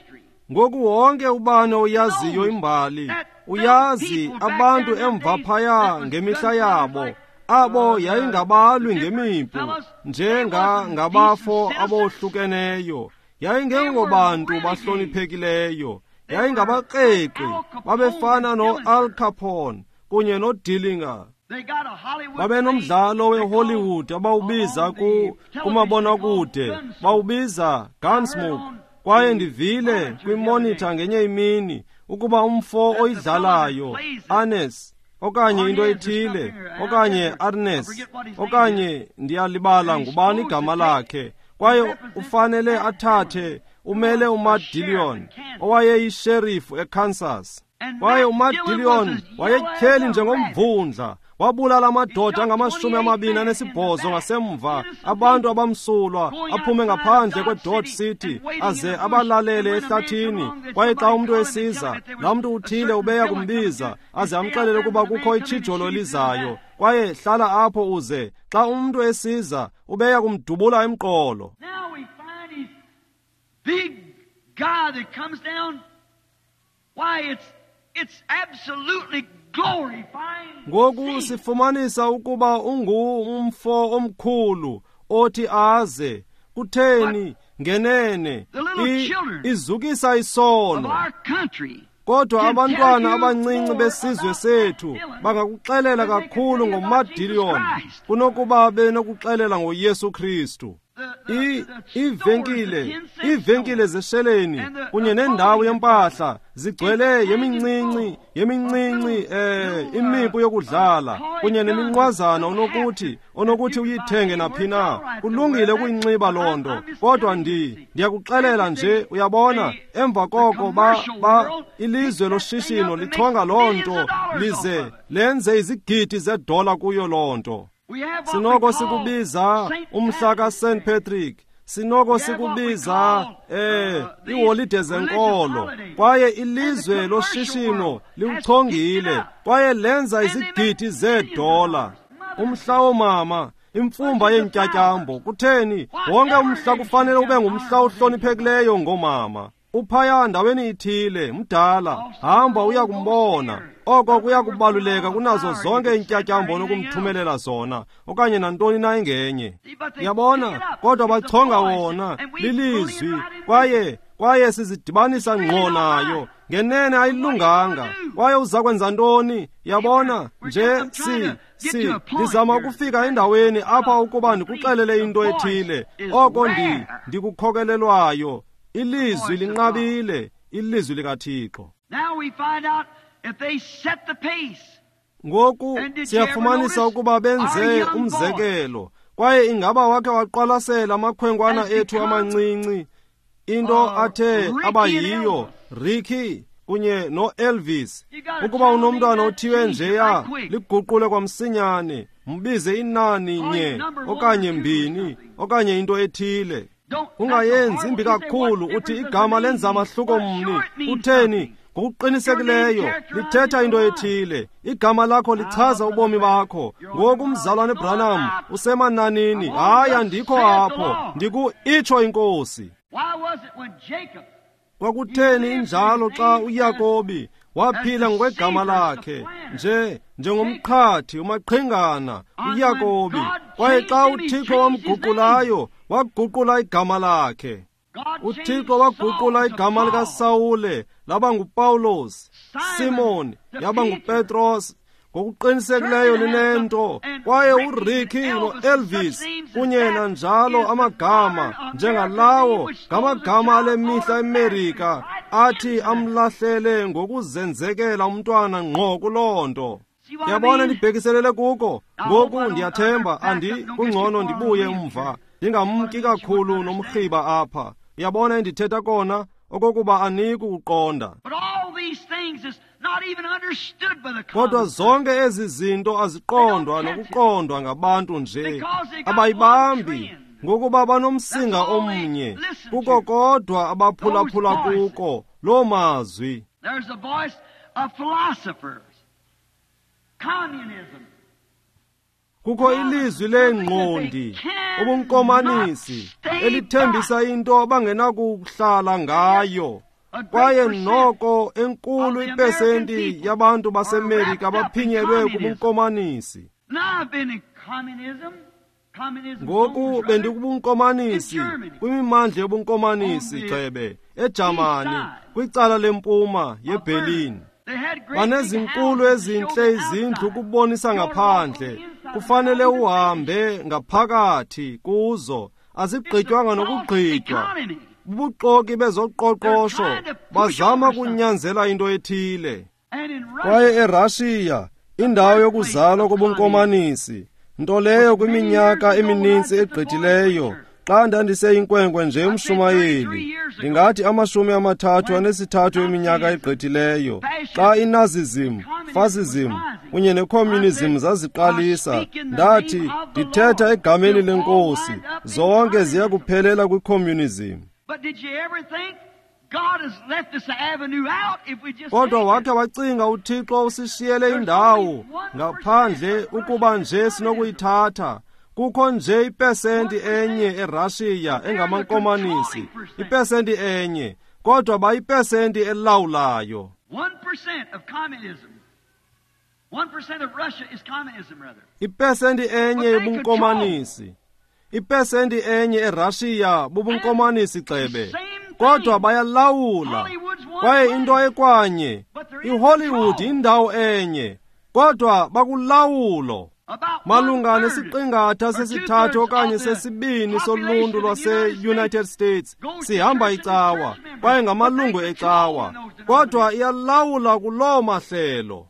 Ngoku wonke ubani oyaziyo imbali uyazi abantu emva phaya ngemihla yabo, Abo yayingabalwi ngemipu njengangabafo abohlukeneyo, yayingengobantu bahloniphekileyo, yayingabakreqi, babefana no-Al Capone kunye noDillinger. Babenomdlalo weHollywood abawubiza kumabonakude, bawubiza Gunsmoke. Kwaye ndivile kwimonitha ngenye imini ukuba umfo oyidlalayo Arnes okanye into ethile okanye Arnes okanye ndiyalibala ngubani igama lakhe, kwaye ufanele athathe umele uMatt Dillon owayeyisherifu eKansas. Kwaye uMatt Dillon wayetyheli njengomvundla, wabulala amadoda angama-28 ngasemva, abantu abamsulwa, aphume ngaphandle kweDodge City aze abalalele ehlathini. Kwaye xa umntu esiza, laa mntu uthile ubeya kumbiza aze amxelele ukuba kukho itshijolo elizayo, kwaye hlala apho uze xa umntu esiza ubeya kumdubula emqolo. Big guy that comes down, why it's absolutely glorifying. Ngoku sifumanisa ukuba ungumfo omkhulu othi aze kutheni ngenene izukisa isono. Kodwa abantwana abancinci besizwe sethu bangakuxelela kakhulu ngoMatt Dillon kunokuba benokuxelela ngoYesu Kristu. Iivenkile zesheleni kunye nendawo yempahla zigcwele yemincinci imipu yokudlala kunye neminqwazana onokuthi uyithenge naphi na. Kulungile ukuyinxiba loo nto, kodwa ndiyakuxelela nje, uyabona, emva koko ilizwe loshishino lichonga loo nto lize lenze izigidi zedola kuyo loo nto. Sinoko sikubiza umhla kaSt Patrick, sinoko sikubiza iiholide zenkolo, kwaye ilizwe loshishino liwuchongile kwaye lenza izigidi zeedola. Umhla woomama, imfumba yeentyatyambo, kutheni wonke umhla kufanele ube ngumhla ohloniphekileyo ngoomama. Uphaya ndaweni ithile mdala, hamba uya kumbona. Oko kuya kubaluleka kunazo zonke iintyatyambo onokumthumelela zona okanye nantoni na engenye. Yabona, kodwa bachonga wona lilizwi, kwaye sizidibanisa ngqo nayo. Ngenene ayilunganga. Kwaye uza kwenza ntoni? Yabona nje ndizama ukufika endaweni apha ukuba ndikuxelele into ethile oko ndikukhokelelwayo. Ilizwi linqabile, ilizwi likaThixo. Ngoku siyafumanisa ukuba benze umzekelo. Kwaye ingaba wakhe waqwalasela amakhwenkwana ethu amancinci, into athe abayiyo Ricky kunye noElvis. Ukuba unomntwana othiwe njeya, liguqule kwamsinyane, mbize inani nye okanye mbini okanye into ethile. Ungayenzi imbi kakhulu uthi igama lenza amahluko mni. Utheni? Ngokuqinisekileyo lithetha into ethile. Igama lakho lichaza ubomi bakho. Ngoku umzalwane Branham usemananini. Hayi, andikho apho, ndiku-itsho inkosi. Kwakutheni injalo xa uYakobi waphila ngokwegama lakhe nje njengomqhathi umaqhingana uYakobi, kwaye xa uThixo wamguqulayo waguqula igama lakhe. uThixo waguqula igama likaSawule laba nguPawulos, Simon yaba nguPetros. Ngokuqinisekileyo linento. Kwaye uRicky noElvis kunye nanjalo amagama njengalawo ngamagama ale mihla eMerika athi amlahlele ngokuzenzekela umntwana ngqo kuloo nto. Yabona, ndibhekiselele kuko ngoku. Ndiyathemba kungcono ndibuye umva, ndingamki kakhulu nomrhiba apha. Uyabona endithetha kona okokuba aniki ukuqonda. Kodwa zonke ezi zinto aziqondwa nokuqondwa ngabantu nje, abayibambi ngokuba banomsinga omnye kuko kodwa abaphulaphula kuko loo mazwi. Kukho ilizwi leengqondi, ubunkomanisi, elithembisa into abangenakuhlala ngayo. Kwaye noko enkulu ipesenti yabantu baseMerika baphinyelwe kubunkomanisi. Ngoku bendikubunkomanisi, kwimimandla yobunkomanisi gxebe, eJamani, kwicala lempuma yeBerlin. Banezinkulu ezintle izindlu ukubonisa ngaphandle, kufanele uhambe ngaphakathi kuzo, azigqitywanga nokugqitywa. Bubuxoki bezoqoqosho, bazama kunyanzela into ethile. Kwaye eRashiya, indawo yokuzalwa kobunkomanisi, nto leyo kwiminyaka emininzi egqithileyo, xa ndandiseyinkwenkwe nje umshumayeli, ndingathi 33 eminyaka egqithileyo, xa inazism, fascism kunye necommunism zaziqalisa, ndathi ndithetha egameni lenkosi, zonke ziya kuphelela kwicommunism. Kodwa wakhe wacinga uThixo usishiyele indawo ngaphandle ukuba nje sinokuyithatha. Kukho nje ipesenti enye eRashiya engamankomanisi, ipesenti enye, kodwa bayipesenti elawulayo. Ipesenti enye yobunkomanisi, ipesenti enye eRashiya bubunkomanisi gxebe, kodwa bayalawula. Kwaye into ekwanye, iHollywood indawo enye, kodwa bakulawulo. Malunga nesiqingatha sesithathu okanye sesibini soluntu lwase-United States sihamba icawa, kwaye ngamalungu ecawa, kodwa iyalawula kuloo mahlelo.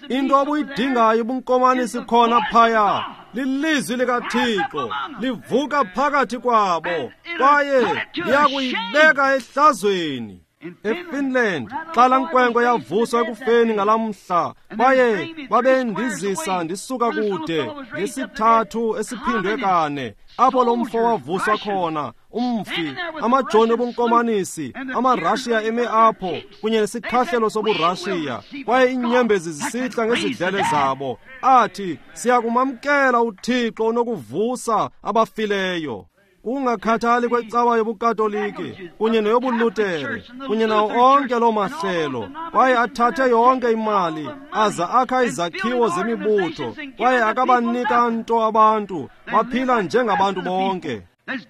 Into obuyidingayo ubunkomanisi khona phaya lilizwi likaThixo livuka phakathi kwabo, kwaye liyakuyibeka ehlazweni. EFinland, xa laa nkwenkwe yavuswa ekufeni ngalamhla, kwaye babendizisa ndisuka kude ngesithathu esiphindwe kane, apho lo mfo wavuswa khona, umfi, amajoni obunkomanisi, amaRashiya eme apho kunye nesikhahlelo sobuRashiya, kwaye iinyembezi zisihla ngezidlele zabo, athi siyakumamkela uThixo onokuvusa abafileyo. Kungakhathali kwecawa yobuKatoliki kunye neyobuLutere kunye nawo onke loo mahlelo, kwaye athathe yonke imali aza akha izakhiwo zemibutho, kwaye akabanika nto abantu, baphila njengabantu bonke.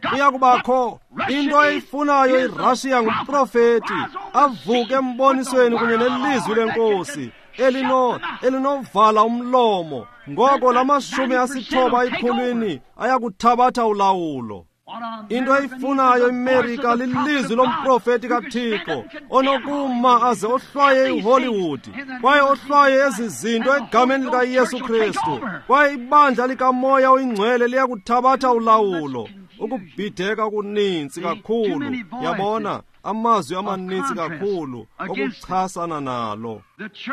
Kuya kubakho into eyifunayo iRashiya ngumprofeti avuke embonisweni kunye nelizwi lenkosi elinovala umlomo. Ngoko la 90 ekhulwini ayakuthabatha ulawulo. Into eyifunayo iMerika lilizwi lomprofeti kaThixo onokuma aze ohlwaye iHollywood, kwaye ohlwaye ezi zinto egameni likaYesu Kristu, kwaye ibandla likaMoya oyiNgcwele liyakuthabatha ulawulo. Ukubhideka okuninzi kakhulu, yabona, amazwi amaninzi kakhulu okuchasana nalo.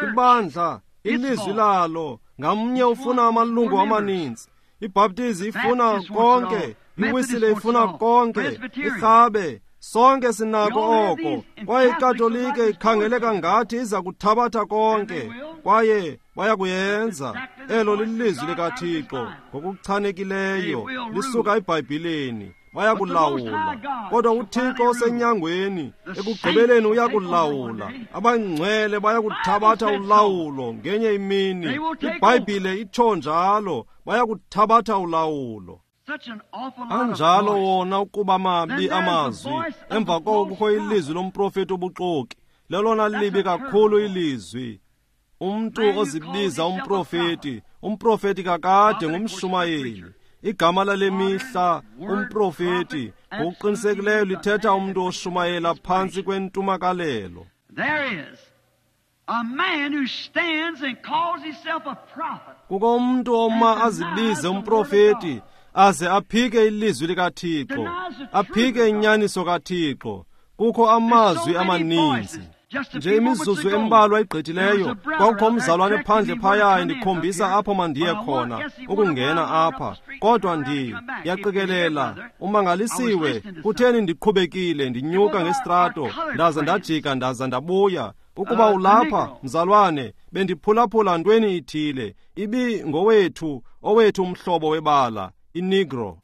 Ibandla, ilizwi lalo, ngamnye ufuna amalungu amaninzi. IBhaptizi ifuna konke, iWisile ifuna konke, iRhabe, sonke sinako oko. Kwaye iKatolike ikhangeleka ngathi iza kuthabatha konke, kwaye bayakuyenza. Elo lilizwi likaThixo ngokuchanekileyo, lisuka eBhayibhileni. Bayakulawula. Kodwa uThixo osenyangweni ekugqibeleni uyakulawula. Abangcwele bayakuthabatha ulawulo ngenye imini. IBhayibhile itsho njalo, bayakuthabatha ulawulo. Anjalo wona ukuba mabi amazwi. Emva koko kukho ilizwi lomprofeti obuxoki, lelona libi kakhulu ilizwi. Umntu ozibiza umprofeti, umprofeti kakade ngumshumayeli. Igama lale mihla umprofeti ngokuqinisekileyo lithetha umntu oshumayela phantsi kwentumakalelo. Kukho umntu oma azibize umprofeti aze aphike ilizwi likaThixo, aphike inyaniso kaThixo. Kukho amazwi amaninzi. Nje imizuzu embalwa igqithileyo, kwakukho umzalwane phandle phaya endikhombisa apho mandiye khona ukungena apha, kodwa ndiyaqikelela umangalisiwe kutheni ndiqhubekile ndinyuka ngesitrato ndaza ndajika ndaza ndabuya. Ukuba ulapha mzalwane, bendiphulaphula ntweni ithile, ibi ngowethu owethu umhlobo webala, iNegro.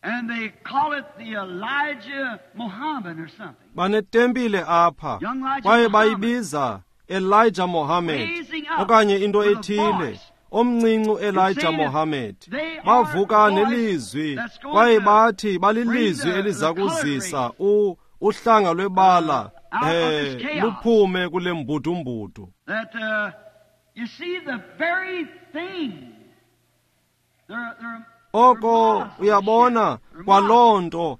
And they call it the Elijah Muhammad or something. Banetempile apha, kwaye bayibiza Elijah Mohammed okanye into ethile, omncinci Elijah Mohammed. Bavuka nelizwi kwaye bathi balilizwi eliza kuzisa uhlanga lwebala luphume kule mbudumbudu. Oko uyabona kwaloo nto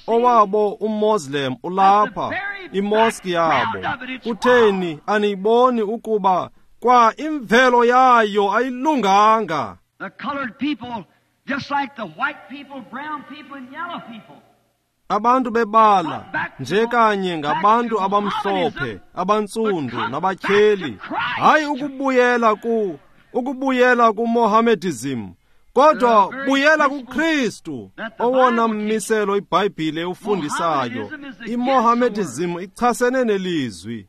owabo uMoslem ulapha, imoski yabo. Kutheni aniyiboni ukuba kwa imvelo yayo ayilunganga? The colored people, just like the white people, brown people and yellow people. Abantu bebala nje kanye ngabantu abamhlophe, abantsundu nabatyheli. Hayi ukubuyela kuMohammedism, kodwa buyela kuKristu, owona mmiselo iBhayibhile ewufundisayo. IMohammedism ichasene nelizwi.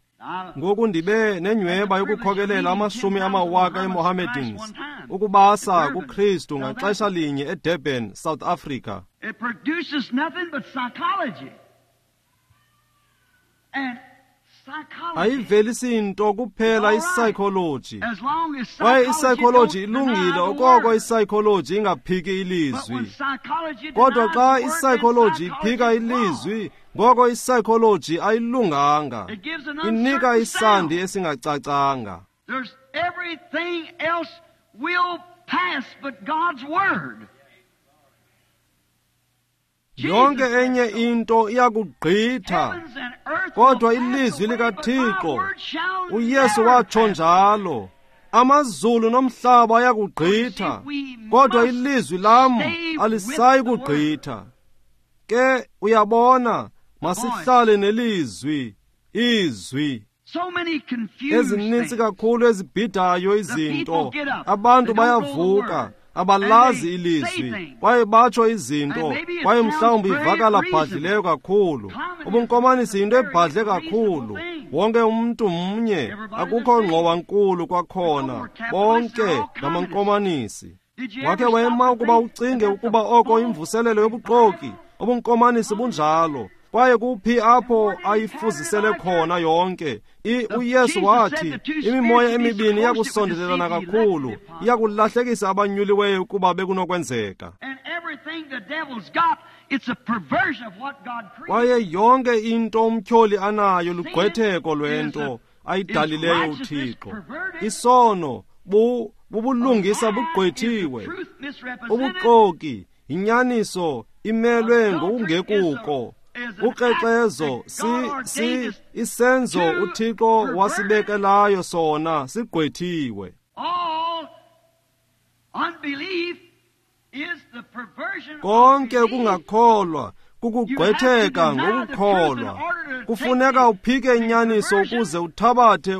Ngoku ndibe nenyweba yokukhokelela amashumi amawaka eMohammedans ukubasa kuKristu ngaxesha linye eDurban, South Africa. It produces nothing but psychology. And ayivelisi nto kuphela ipsychology. Kwaye ipsychology ilungile okoko ipsychology ingaphiki ilizwi. Kodwa xa ipsychology iphika ilizwi, ngoko ipsychology ayilunganga. Inika isandi esingacacanga. There's everything else will pass but God's word. Yonke enye into iyakugqitha, kodwa ilizwi likaThixo, uYesu watsho njalo, amazulu nomhlaba ayakugqitha, kodwa ilizwi lam alisayi kugqitha. Ke uyabona, masihlale nelizwi, izwi. Ezininzi kakhulu ezibhidayo izinto, abantu bayavuka, abalazi ilizwi, kwaye batsho izinto, kwaye mhlawumbi ivakala bhadlileyo kakhulu. Ubunkomanisi yinto ebhadle kakhulu. Wonke umntu mnye, akukho ngxowankulu kwakhona, bonke ngamankomanisi. Wakhe wema ukuba ucinge ukuba oko imvuselelo yobuxoki, ubunkomanisi bunjalo. Kwaye kuphi apho ayifuzisele khona yonke? uYesu wathi imimoya emibini iyakusondelelana kakhulu, iyakulahlekisa abanyuliweyo ukuba bekunokwenzeka. Kwaye yonke into umtyholi anayo lugqwetheko lwento ayidalileyo uThixo. Isono bubulungisa bugqwethiwe, ubuxoki inyaniso imelwe ngokungekuko. Ukrexezo isenzo uThixo wasibekelayo sona sigqwethiwe. Konke ukungakholwa kukugqwetheka ngokukholwa. Kufuneka uphike inyaniso ukuze uthabathe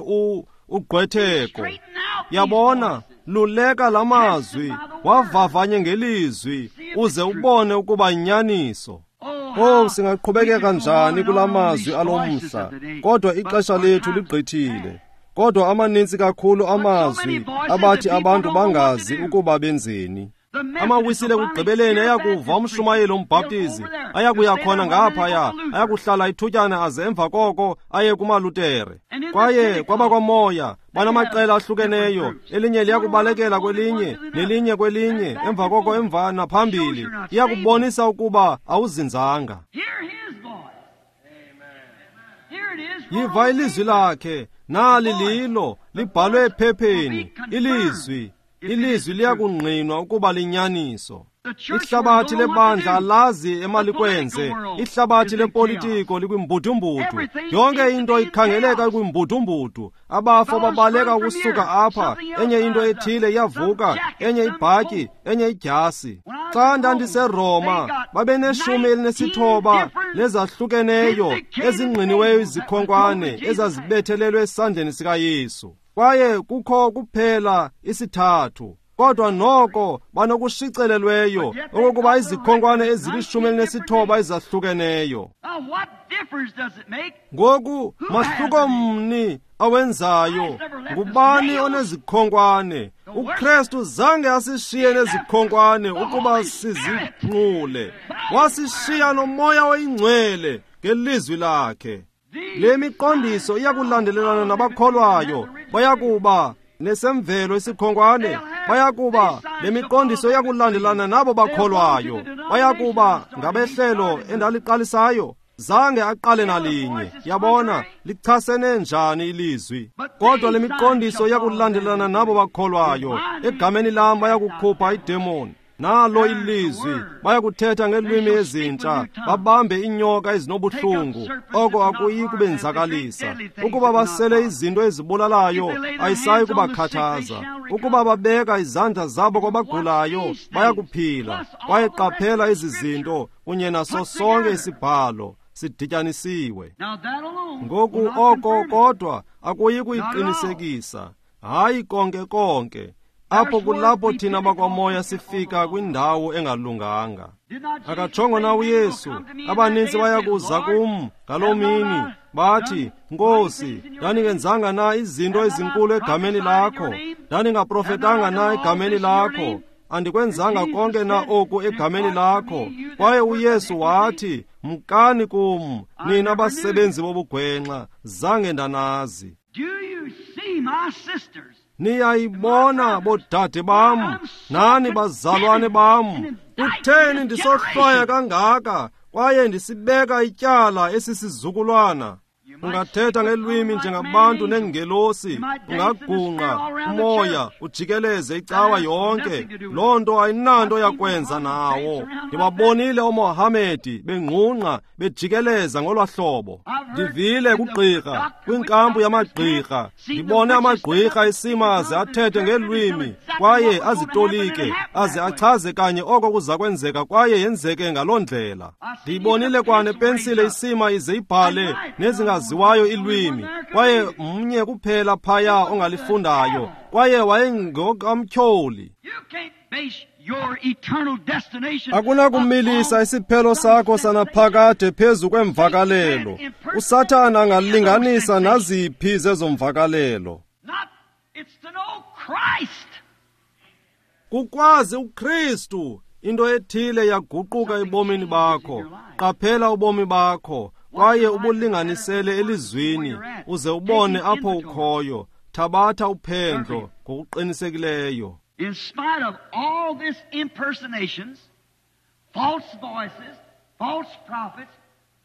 ugqwetheko. Yabona, luleka lamazwi, wavavanye ngelizwi, uze ubone ukuba inyaniso. Oh, singaqhubekeka njani kula mazwi alomhla, kodwa ixesha lethu ligqithile. Kodwa amaninzi kakhulu amazwi abathi abantu bangazi ukuba benzeni. Amawisile kugqibeleni ayakuva umshumayeli umbhaptizi, ayakuya khona ngaphaya, ayakuhlala ithutyana aze emva koko aye kumaLutere. Kwaye kwabakwamoya banamaqela ahlukeneyo, elinye liyakubalekela kwelinye, nelinye kwelinye, emva koko emva naphambili. Iyakubonisa ukuba awuzinzanga. Yiva ilizwi lakhe, nali lilo, libhalwe ephepheni, ilizwi. Ilizwi liyakungqinwa ukuba linyaniso. Ihlabathi lebandla alazi emalikwenze, ihlabathi lepolitiko likwimbudumbudu. Yonke into ikhangeleka kwimbudumbudu. Abafo babaleka ukusuka apha, enye into ethile iyavuka, enye ibhatyi, enye idyasi. Xa ndandiseRoma, babeneshumi elinesithoba lezahlukeneyo ezingqiniweyo izikhonkwane ezazibethelelwe esandleni sikaYesu. Kwaye kukho kuphela isithathu, kodwa noko banokushicelelweyo okokuba izikhonkwane ezili-19 ezahlukeneyo. Ngoku mahluko mni awenzayo? Ngubani onezikhonkwane? uKristu zange asishiye nezikhonkwane ukuba sizinqule, wasishiya noMoya oyiNgcwele ngelizwi lakhe. Le miqondiso iyakulandelelana nabakholwayo. Bayakuba nesemvelo isikhonkwane, bayakuba le miqondiso iyakulandelana nabo bakholwayo. Bayakuba ngabehlelo endaliqalisayo. Zange aqale nalinye. Yabona, lichasene njani ilizwi. Kodwa le miqondiso iyakulandelana nabo bakholwayo. Egameni lam bayakukhupha idemoni. Nalo ilizwi, bayakuthetha ngeelwimi ezintsha, babambe iinyoka ezinobuhlungu, oko akuyi kubenzakalisa. Ukuba basele izinto ezibulalayo, ayisayi kubakhathaza. Ukuba babeka izandla zabo kwabagulayo, bayakuphila. Kwaye qaphela ezi zinto kunye naso sonke isibhalo sidityanisiwe. Ngoku oko kodwa akuyi kuyiqinisekisa, hayi konke konke. Apho kulapho thina bakwamoya sifika kwindawo engalunganga. Akatshongo na uYesu, abaninzi bayakuza kum ngaloo mini, bathi, Nkosi, ndandingenzanga na izinto ezinkulu egameni lakho? Ndandingaprofetanga na egameni lakho? Andikwenzanga konke na oku egameni lakho? Kwaye uYesu wathi, mkani kum, nina basebenzi bobugwenxa, zange ndanazi. Niyayibona bodade bam, nani bazalwane bam, kutheni ndisohlwaya kangaka kwaye ndisibeka ityala esisizukulwana? Ungathetha ngelwimi njengabantu neengelosi, ungagungqa umoya ujikeleze icawa yonke. Loo nto ayinanto yakwenza nawo. Ndibabonile ooMohamedi bengqungqa bejikeleza ngolwa hlobo. Ndivile kugqirha, kwinkampu yamagqirha, ndibone amagqirha esima aze athethe ngelwimi kwaye azitolike aze achaze kanye oko kuza kwenzeka kwaye yenzeke ngaloo ndlela. Ndiyibonile kwanepensile isima ize ibhale nezingaziwayo ilwimi, kwaye mnye kuphela phaya ongalifundayo, kwaye wayengokamtyholi. Akunakumilisa isiphelo sakho sanaphakade phezu kwemvakalelo. USathana angalinganisa naziphi zezomvakalelo. Kukwazi uKristu, into ethile yaguquka ebomini bakho. Qaphela ubomi bakho kwaye ubulinganisele elizwini, uze ubone apho ukhoyo. Thabatha uphendlo ngokuqinisekileyo. In spite of all this impersonations, false voices, false prophets,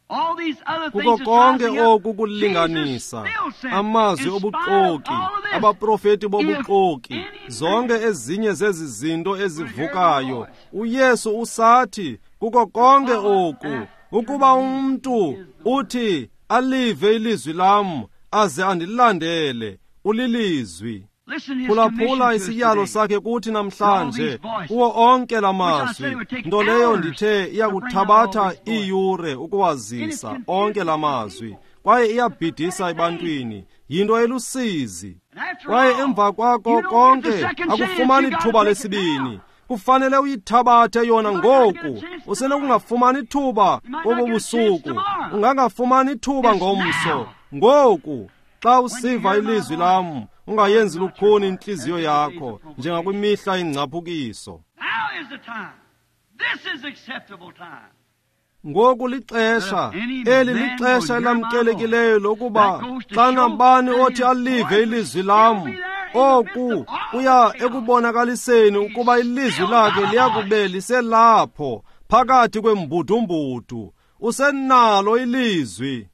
all these other Kuko things konke oku kulinganisa, amazwi obuxoki, abaprofeti bobuxoki, zonke ezinye zezi zinto ezivukayo, uYesu usathi kuko konke oku, ukuba umntu uthi alive ilizwi lam aze andilandele, ulilizwi. Phulaphula isiyalo sakhe kuthi namhlanje, kuwo onke la mazwi, nto leyo ndithe iyakuthabatha iiyure ukuwazisa onke la mazwi, kwaye iyabhidisa ebantwini, yinto elusizi. Kwaye emva kwako konke akufumani thuba lesibini. Kufanele uyithabathe yona ngoku. Usenokungafumani thuba kobu busuku, ungangafumani thuba ngomso. Ngoku xa usiva ilizwi lam, ungayenzi lukhuni intliziyo yakho njengakwimihla ingcaphukiso. Ngoku lixesha, eli lixesha elamkelekileyo lokuba xa nabani othi alive ilizwi lam, oku kuya ekubonakaliseni ukuba ilizwi lakhe liyakube liselapho phakathi kwembudumbudu. Usenalo ilizwi.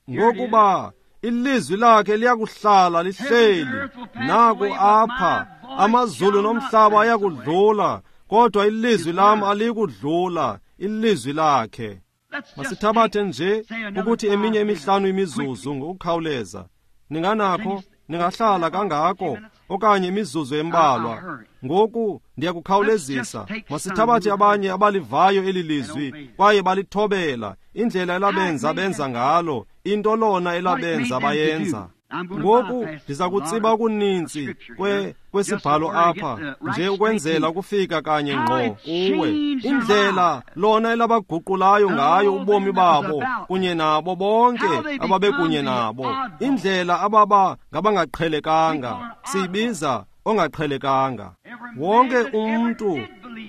Ngokuba ilizwi lakhe liyakuhlala lihleli. Naku apha, amazulu nomhlaba ayakudlula, kodwa ilizwi lam alikudlula, ilizwi lakhe. Masithabathe nje ukuthi eminye emihlanu imizuzu ngokukhawuleza. Ninganakho, ningahlala kangako okanye imizuzu embalwa. Ngoku ndiyakukhawulezisa. Masithabathe abanye abalivayo eli lizwi kwaye balithobela indlela elabenza benza ngalo, into lona elabenza bayenza. Ngoku ndiza kutsiba okuninzi kwesibhalo apha nje ukwenzela ukufika kanye ngqo kuwe. Indlela lona elabaguqulayo ngayo ubomi babo kunye nabo bonke ababekunye nabo, indlela ababa ngabangaqhelekanga, siyibiza ongaqhelekanga. Wonke umntu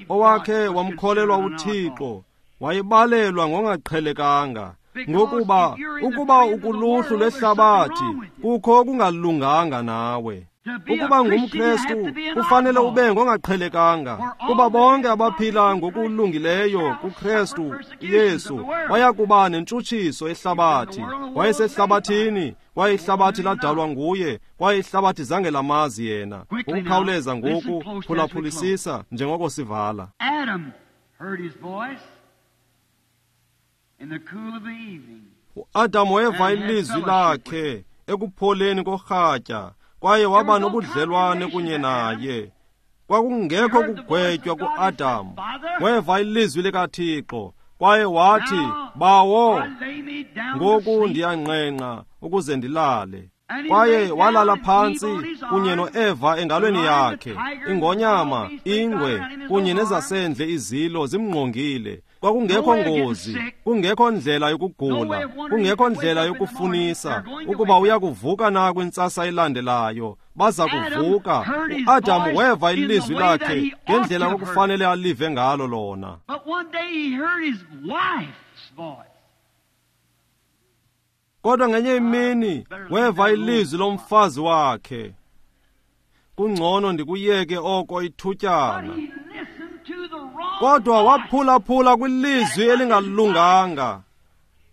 owakhe wamkholelwa uThixo Wayebalelwa ngongaqhelekanga. Ngokuba ukuba ukuluhlu lwehlabathi, kukho okungalunganga nawe. Ukuba ngumKristu kufanele ube ngongaqhelekanga, kuba bonke abaphila ngokulungileyo kuKristu Yesu bayakuba nentshutshiso ehlabathi. Wayesehlabathini, kwaye ihlabathi ladalwa nguye, kwaye ihlabathi zange lamazi yena. Ukukhawuleza ngoku, phulaphulisisa njengoko sivala. UAdam weva ilizwi lakhe ekupholeni korhatya, kwaye waba nobudlelwane kunye naye. Kwakungekho kugwetywa kuAdam. Weva ilizwi likaThixo, kwaye wathi, Bawo, ngoku ndiyangqengqa ukuze ndilale. Kwaye walala phantsi kunye noEva engalweni yakhe, ingonyama, ingwe kunye nezasendle izilo zimngqongile. Kwakungekho ngozi, kungekho ndlela yokugula, kungekho ndlela yokufunisa ukuba uyakuvuka na kwintsasa elandelayo. Baza kuvuka. UAdam weva ilizwi lakhe ngendlela okufanele alive ngalo lona. Kodwa ngenye imini weva ilizwi lomfazi wakhe. Kungcono ndikuyeke oko ithutyana. Kodwa waphulaphula kwilizwi elingalunganga.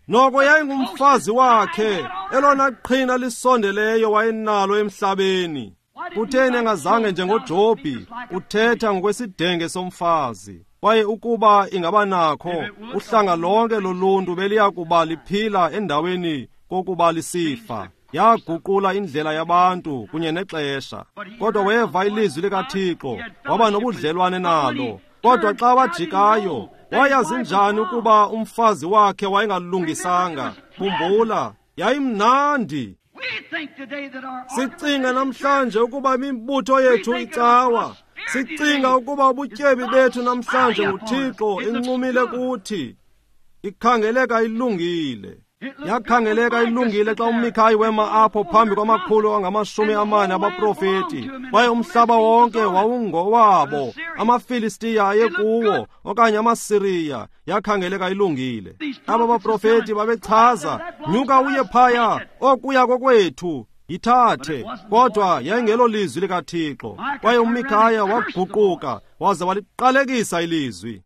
Noko yayingumfazi wakhe, elona qhina lisondeleyo wayenalo emhlabeni. Kutheni engazange njengoJobhi uthetha ngokwesidenge somfazi? Kwaye ukuba ingaba nakho, uhlanga lonke loluntu beliya kuba liphila endaweni kokuba lisifa. Yaguqula indlela yabantu kunye nexesha. Kodwa weva ilizwi likaThixo, waba nobudlelwane nalo. Kodwa xa wajikayo, wayazi njani ukuba umfazi wakhe wayengalungisanga? Khumbula, yayimnandi. Sicinga namhlanje ukuba imibutho yethu icawa. Sicinga ukuba ubutyebi bethu namhlanje nguThixo encumile kuthi. Ikhangeleka ilungile. Yakhangeleka ilungile xa uMikhayi wema apho phambi kwamakhulu angama-40 abaprofeti, kwaye umhlaba wonke wawungowabo. AmaFilistiya ayekuwo okanye amaSiriya. Yakhangeleka ilungile. Aba baprofeti babechaza, nyuka uye phaya, okuya kokwethu, yithathe. Kodwa yayingelo lizwi likaThixo. Kwaye uMikhaya waguquka waze waliqalekisa ilizwi.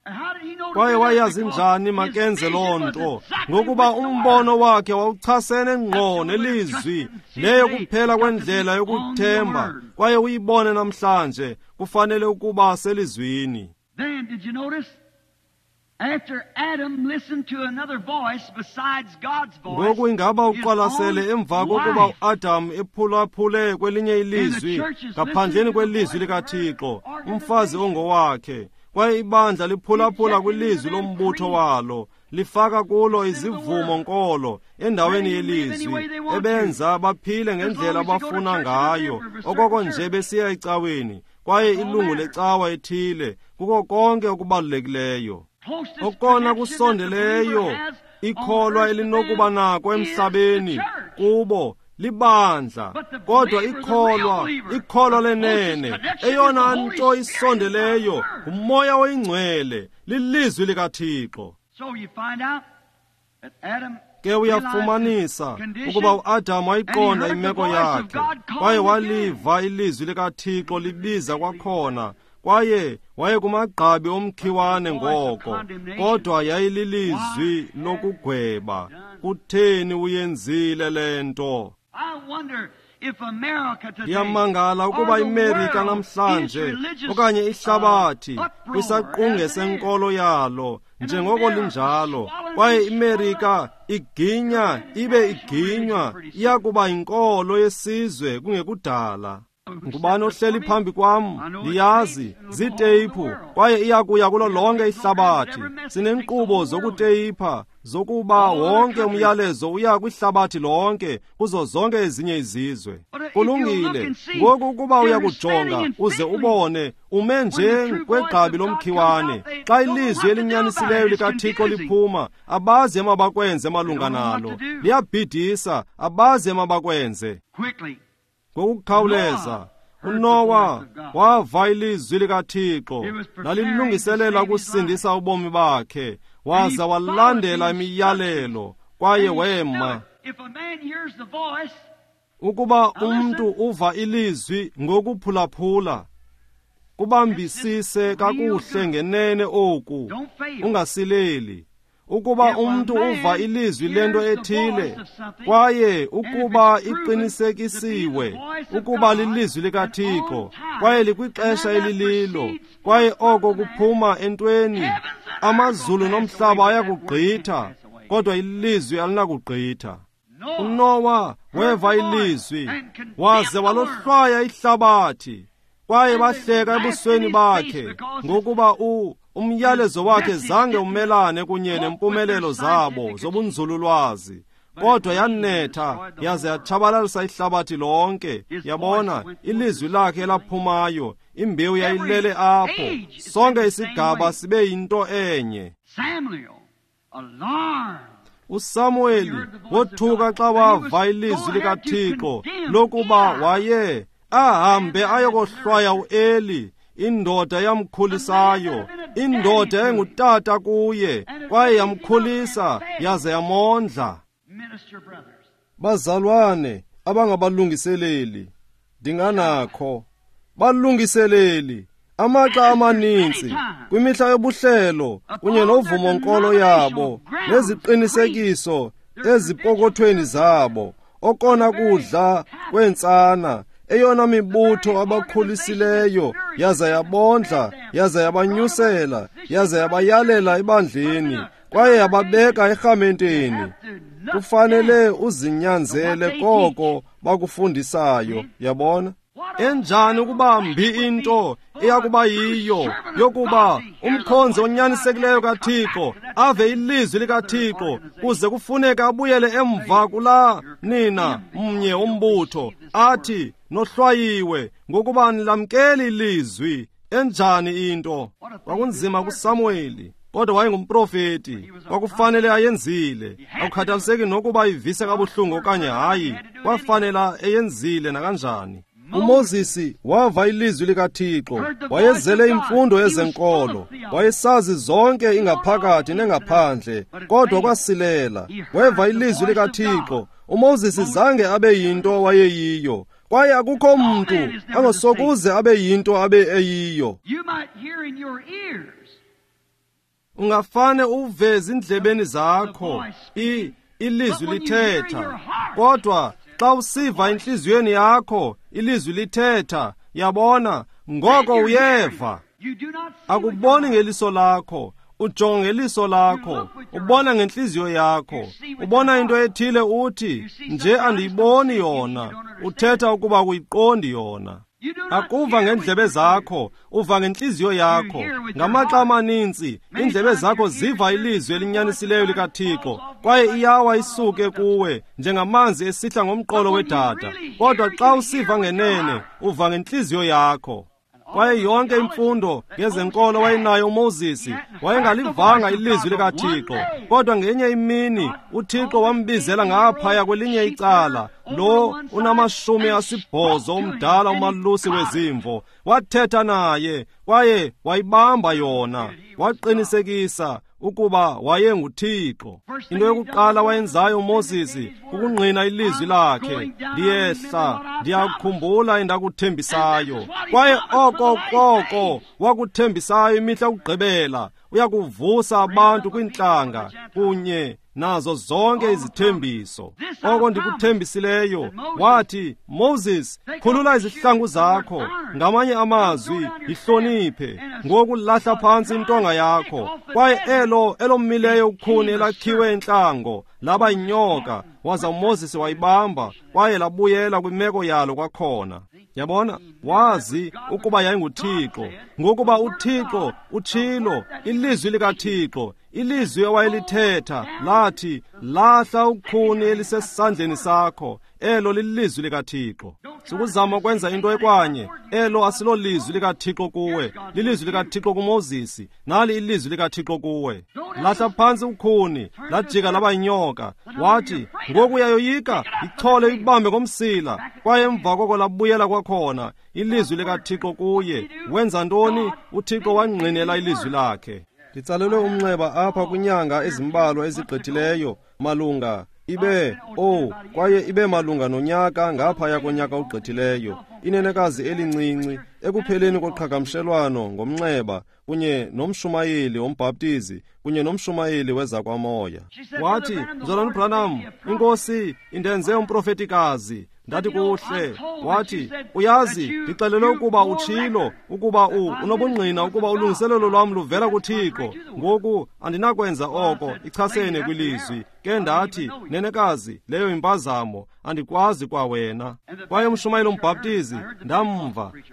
Kwaye wayazi njani makenze loo nto? Ngokuba umbono wakhe wawuchasene ngqo nelizwi. Leyo kuphela kwendlela yokuthemba. Kwaye uyibone namhlanje, kufanele ukuba selizwini. Ngoku ingaba uqwalasele emva kokuba uAdam ephulaphule kwelinye ilizwi ngaphandleni kwelizwi likaThixo, umfazi ongowakhe, kwaye ibandla liphulaphula kwilizwi lombutho walo, lifaka kulo izivumo nkolo endaweni yelizwi, ebenza baphile ngendlela abafuna ngayo, okoko nje besiya ecaweni, kwaye ilungu lecawa ethile kuko konke okubalulekileyo. Okona kusondeleyo ikholwa elinokuba nako emhlabeni kubo libandla. Kodwa ikholwa lenene, eyona nto isondeleyo nguMoya oyiNgcwele, lilizwi likaThixo. Ke uyafumanisa ukuba uAdam wayiqonda imeko yakhe, kwaye waliva ilizwi likaThixo libiza kwakhona, kwaye waye kumagqabi omkhiwane ngoko. Kodwa yayililizwi lokugweba. Kutheni uyenzile le nto? Ndiyamangala ukuba iMerika namhlanje okanye ihlabathi kwisaqunge senkolo yalo njengoko linjalo, kwaye iMerika iginya ibe iginywa, iyakuba yinkolo yesizwe kungekudala. Ngubani ohleli phambi kwam? Ndiyazi, ziiteyiphu, kwaye iyakuya kulo lonke ihlabathi. Sinenkqubo zokuteyipha zokuba wonke umyalezo uya kwihlabathi lonke, kuzo zonke ezinye izizwe. Kulungile. Ngoku ukuba uyakujonga uze ubone, ume nje kwegqabi lomkhiwane. Xa ilizwi elinyanisileyo likaThixo liphuma, abazi emabakwenze malunga nalo. Liyabhidisa, abazi emabakwenze. Ngokukhawuleza, uNowa wava ilizwi likaThixo, lalilungiselela ukusindisa ubomi bakhe. waza walandela imiyalelo kwaye wema. Ukuba umntu uva ilizwi ngokuphulaphula, kubambisise kakuhle ngenene oku, ungasileli. Ukuba umntu uva ilizwi lento ethile, kwaye ukuba iqinisekisiwe ukuba lilizwi likaThixo, kwaye likwixesha elililo, kwaye oko kuphuma entweni, amazulu nomhlaba ayakugqitha, kodwa ilizwi alinakugqitha. uNowa weva ilizwi, waze walohlwaya ihlabathi, kwaye bahleka ebusweni bakhe, ngokuba umyalezo wakhe zange umelane kunye nempumelelo zabo zobunzululwazi, kodwa yanetha yaze yatshabalalisa ihlabathi lonke. Yabona, ilizwi lakhe elaphumayo, imbewu yayilele apho. Sonke isigaba sibe yinto enye. uSamueli wothuka xa wava ilizwi likaThixo lokuba waye ahambe ayokohlwaya uEli, indoda yamkhulisayo, indoda engutata kuye, kwaye yamkhulisa yaze yamondla. Bazalwane abangabalungiseleli, ndinganakho balungiseleli amaxa amaninzi kwimihla yobuhlelo kunye novumo-nkolo yabo neziqinisekiso ezipokothweni zabo, okona kudla kweentsana, eyona mibutho abakhulisileyo yaza yabondla, yaza yabanyusela, yaza yabayalela ebandleni, kwaye yababeka erhamenteni. Kufanele uzinyanzele koko bakufundisayo, yabona. Enjani ukuba mbi into eyakuba yiyo yokuba umkhonzi onyanisekileyo kaThixo ave ilizwi likaThixo kuze kufuneke abuyele emva kulaa nina mnye umbutho athi nohlwayiwe ngokuba nilamkeli ilizwi. Enjani into! Kwakunzima kuSamueli, kodwa wayengumprofeti, kwakufanele ayenzile. Akukhathaliseki nokuba ivise kabuhlungu okanye hayi, kwafanela eyenzile nakanjani. uMoses wava ilizwi likaThixo, wayezele imfundo yezenkolo, wayesazi zonke ingaphakathi nengaphandle, kodwa kwasilela. Weva ilizwi likaThixo. uMoses zange abe yinto wayeyiyo, kwaye akukho mntu angosokuze abe yinto abe eyiyo. Ungafane uve ezindlebeni zakho ilizwi lithetha, kodwa xa usiva entliziyweni yakho ilizwi lithetha, yabona, ngoko uyeva. Akuboni ngeliso lakho, ujonga ngeliso lakho, ubona ngentliziyo yakho, ubona into ethile uthi nje andiyiboni yona, uthetha ukuba akuyiqondi yona. Akuva ngendlebe zakho, uva ngentliziyo yakho. Ngamaxa amaninzi indlebe zakho ziva ilizwi elinyanisileyo likaThixo, kwaye iyawa isuke kuwe njengamanzi esihla ngomqolo wedada. Kodwa xa usiva ngenene, uva ngentliziyo yakho. Kwaye yonke imfundo ngezenkolo wayenayo uMoses, wayengalivanga ilizwi likaThixo. Kodwa ngenye imini uThixo wambizela ngaphaya kwelinye icala, lo unama-80 umdala umalusi wezimvo. Wathetha naye kwaye wayibamba yona, waqinisekisa ukuba wayenguThixo. Into yokuqala wayenzayo uMoses kukungqina ilizwi lakhe, ndiyehla ndiyakukhumbula endakuthembisayo. Kwaye oko koko wakuthembisayo imihla yokugqibela, uyakuvusa abantu kwintlanga kunye nazo zonke izithembiso. Oko ndikuthembisileyo, wathi, Moses, khulula izihlangu zakho. Ngamanye amazwi, yihloniphe ngokulahla phantsi intonga yakho. Kwaye elo elomileyo ukhuni elakhiwe entlango laba yinyoka, waza uMoses wayibamba, kwaye labuyela kwimeko yalo kwakhona. Yabona, wazi ukuba yayinguThixo, ngokuba uThixo utshilo, ilizwi likaThixo, ilizwi awayelithetha lathi, lahla ukhuni elisesandleni sakho. Elo lilizwi likaThixo. Sukuzama ukwenza into ekwanye. Elo asilolizwi likaThixo kuwe, lilizwi likaThixo kuMoses. Nali ilizwi likaThixo kuwe. Lahla phantsi ukhuni, lajika laba yinyoka. Wathi, ngoku uyayoyika, yichole ibambe ngomsila. Kwaye emva koko labuyela kwakhona ilizwi likaThixo kuye. Wenza ntoni? uThixo wangqinela ilizwi lakhe. Nditsalelwe umnxeba apha kwinyanga ezimbalwa ezigqithileyo malunga kwaye ibe malunga nonyaka ngaphaya konyaka ogqithileyo. Inenekazi elincinci ekupheleni koqhagamshelwano ngomnxeba kunye nomshumayeli wombhaptizi kunye nomshumayeli wezakwamoya. Wathi, Mzalwana uBranham, iNkosi indenze umprofetikazi. Ndathi, kuhle. Wathi, uyazi, ndixelelwe ukuba utshilo ukuba unobungqina ukuba ulungiselelo lwam luvela kuThixo. Ngoku andinakwenza oko ichasene kwilizwi. Ke ndathi, nenekazi, leyo impazamo, andikwazi kwawena. Kwaye umshumayeli umbhaptizi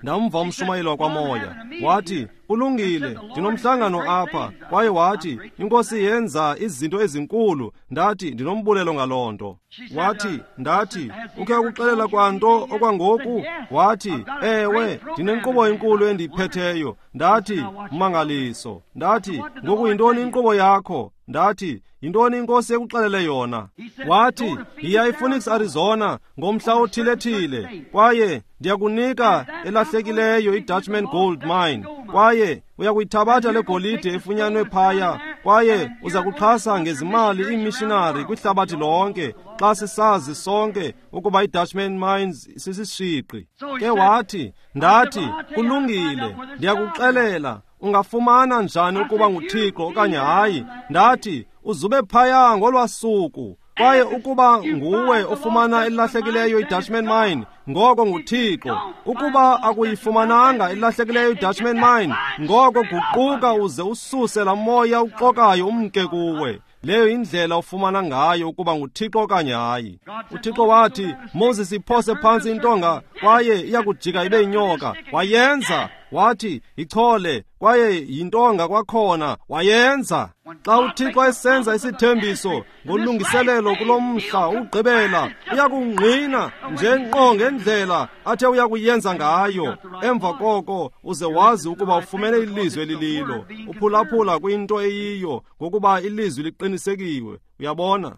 ndamva umshumayeli wakwamoya. Wathi, kulungile, ndinomhlangano apha. Kwaye wathi, iNkosi yenza izinto ezinkulu. Ndathi, ndinombulelo ngaloo nto. Wathi, ndathi, ukhe ukuxelela kwanto okwangoku? Wathi, ewe, ndinenkqubo enkulu endiyiphetheyo. Ndathi, mmangaliso. Ndathi, ngoku yintoni inkqubo yakho? Ndathi, yintoni iNkosi ekuxelele yona? Wathi, yiya ePhoenix, Arizona ngomhla othile-thile, kwaye ndiyakunika elahlekileyo iDutchman Gold Mine, kwaye uyakuyithabatha le golide efunyanwe phaya, kwaye uza kuxhasa ngezimali iimishinari kwihlabathi lonke, xa sisazi sonke ukuba iDutchman Mines sisishiqi. Ke wathi, ndathi, kulungile, ndiyakuxelela, ungafumana njani ukuba nguThixo okanye hayi? Ndathi, uzube phaya ngolwasuku, kwaye ukuba nguwe ofumana elahlekileyo iDutchman Mine, ngoko nguThixo. Ukuba akuyifumananga elahlekileyo iDutchman Mine, ngoko guquka uze ususe laa moya uxokayo umke kuwe. Leyo indlela ofumana ngayo ukuba nguThixo okanye hayi. UThixo wathi, Moses, iphose phantsi intonga kwaye iyakujika ibe yinyoka. Wayenza. Wathi, ichole kwaye yintonga kwakhona. Wayenza. Xa uThixo esenza isithembiso ngolungiselelo kulo mhla ugqibela, uyakungqina nje ngqo ngendlela athe uyakuyenza ngayo. Emva koko uze wazi ukuba ufumene ilizwi elililo. Uphulaphula kwinto eyiyo ngokuba ilizwi liqinisekiwe. Uyabona?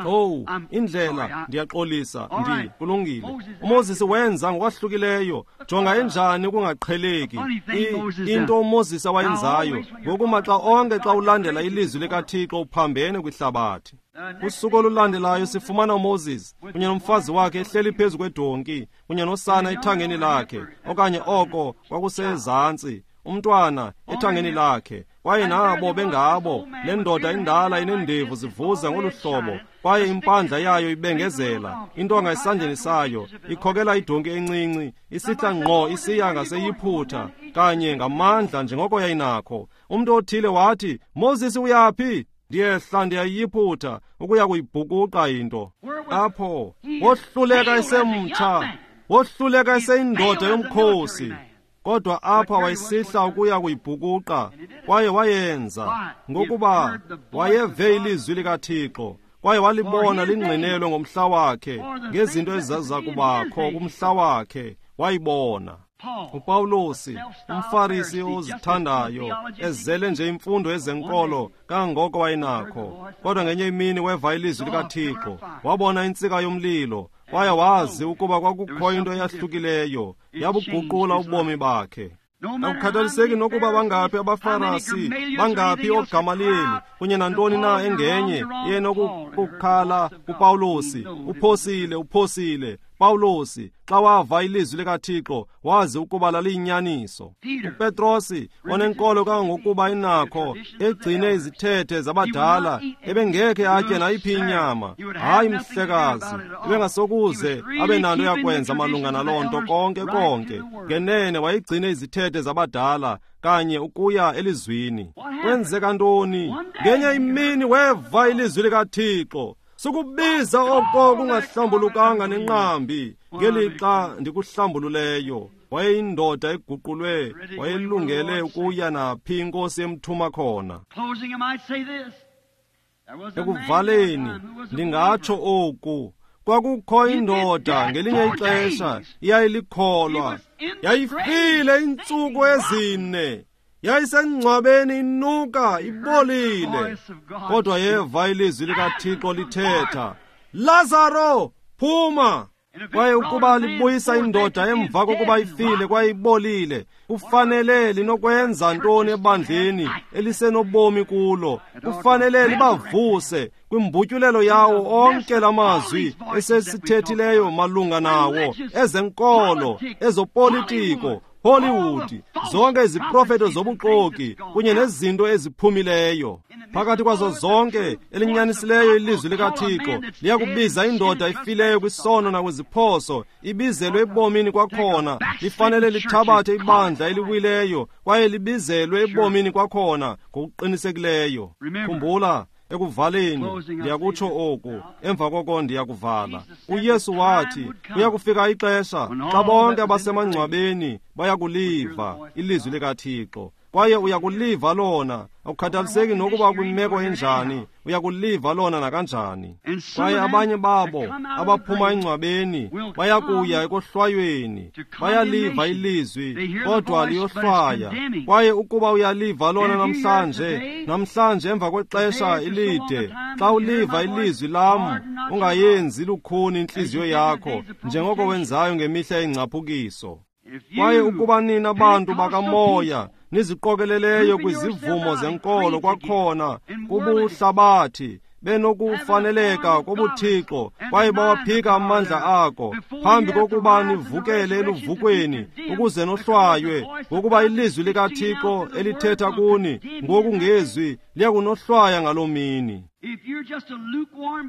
Oh, indlela, ndiyaxolisa, kulungile. uMoses wenza ngokwahlukileyo. Jonga enjani ukungaqheleki. Into uMoses awayenzayo. Ngoku maxa onke xa ulandela ilizwi likaThixo uphambene kwihlabathi. Kusuku olulandelayo sifumana uMoses kunye nomfazi wakhe ehleli phezu kwedonki kunye nosana ethangeni lakhe, okanye oko kwakusezantsi, umntwana ethangeni lakhe. Kwaye nabo bengabo, le ndoda indala inendevu zivuza ngolu hlobo, kwaye impandla yayo ibengezela, intonga esandleni sayo, ikhokela idonki encinci, isihla ngqo isiya ngaseyiphutha, kanye ngamandla njengoko yayinakho. Umntu othile wathi, Moses, uyaphi? Ndiyehla ndiyayiphutha ukuya kuyibhukuqa into. Apho wohluleka esemtsha, wohluleka eseyindoda yomkhosi. Kodwa apha wayisihla ukuya kuyibhukuqa, kwaye wayenza, ngokuba wayeve ilizwi likaThixo, kwaye walibona lingqinelwe ngomhla wakhe, ngezinto ezaziza kubakho kumhla wakhe, wayibona. uPawulosi, umFarisi ozithandayo, ezele nje imfundo ezenkolo kangangoko wayenakho, kodwa ngenye imini weva ilizwi likaThixo, wabona intsika yomlilo, kwaye wazi ukuba kwakukho into eyahlukileyo, yabuguqula ubomi bakhe. Akukhathaliseki nokuba bangaphi abaFarisi, bangaphi ooGamaliyeli, kunye nantoni na engenye yenokukhala kuPawulosi, uphosile, uphosile. Pawulosi, xa wava ilizwi likaThixo, wazi ukuba laliyinyaniso. uPetrosi, onenkolo kangangokuba inakho, egcine izithethe zabadala, ebengekhe atye nayiphi inyama. Hayi, mhlekazi, ebengasokuze abe nanto yakwenza malunga naloo nto konke konke. Ngenene wayegcine izithethe zabadala kanye ukuya elizwini. Kwenzeka ntoni? Ngenye imini weva ilizwi likaThixo. Sukubiza oko kungahlambulukanga nenqambi ngelixa ndikuhlambululeyo. Wayeyindoda eguqulwe, wayelungele ukuya naphi inkosi emthuma khona. Ekuvaleni ndingatsho oku, kwakukho indoda ngelinye ixesha iyayilikholwa, yayifile iintsuku ezine, yayisengcwabeni inuka ibolile, kodwa yeva ilizwi likaThixo lithetha, Lazaro, phuma! Kwaye ukuba libuyisa indoda emva kokuba ifile kwaye ibolile, kufanele linokwenza ntoni ebandleni elisenobomi kulo? Kufanele libavuse kwimbutyulelo yawo onke lamazwi esesithethileyo malunga nawo, ezenkolo, ezopolitiko, Hollywood, zonke iziprofeto zobuxoki kunye nezinto eziphumileyo. Phakathi kwazo zonke elinyanisileyo ilizwi likaThixo liyakubiza indoda ifileyo kwisono nakwiziphoso, ibizelwe ebomini kwakhona. Lifanele lithabathe ibandla eliwileyo kwaye libizelwe ebomini kwakhona ngokuqinisekileyo. Khumbula, ekuvaleni ndiyakutsho oku, emva koko ndiyakuvala. UYesu wathi kuya kufika ixesha xa bonke abasemangcwabeni bayakuliva ilizwi likaThixo, kwaye uyakuliva lona, akukhathaliseki nokuba kwimeko enjani, uyakuliva lona nakanjani. Kwaye abanye babo abaphuma engcwabeni bayakuya ekohlwayweni, bayaliva ilizwi kodwa liyohlwaya. Kwaye ukuba uyaliva lona namhlanje emva kwexesha elide, xa uliva ilizwi lam, ungayenzi lukhuni intliziyo yakho njengoko wenzayo ngemihla yengcaphukiso. Kwaye ukuba nina bantu bakamoya niziqokeleleyo kwizivumo zenkolo kwakhona kubuhlabathi benokufaneleka kobuthixo, kwaye bawaphika amandla ako phambi kokuba nivukele eluvukweni ukuze nohlwaywe, ngokuba ilizwi likaThixo elithetha kuni ngokungezwi liyakunohlwaya ngaloo mini.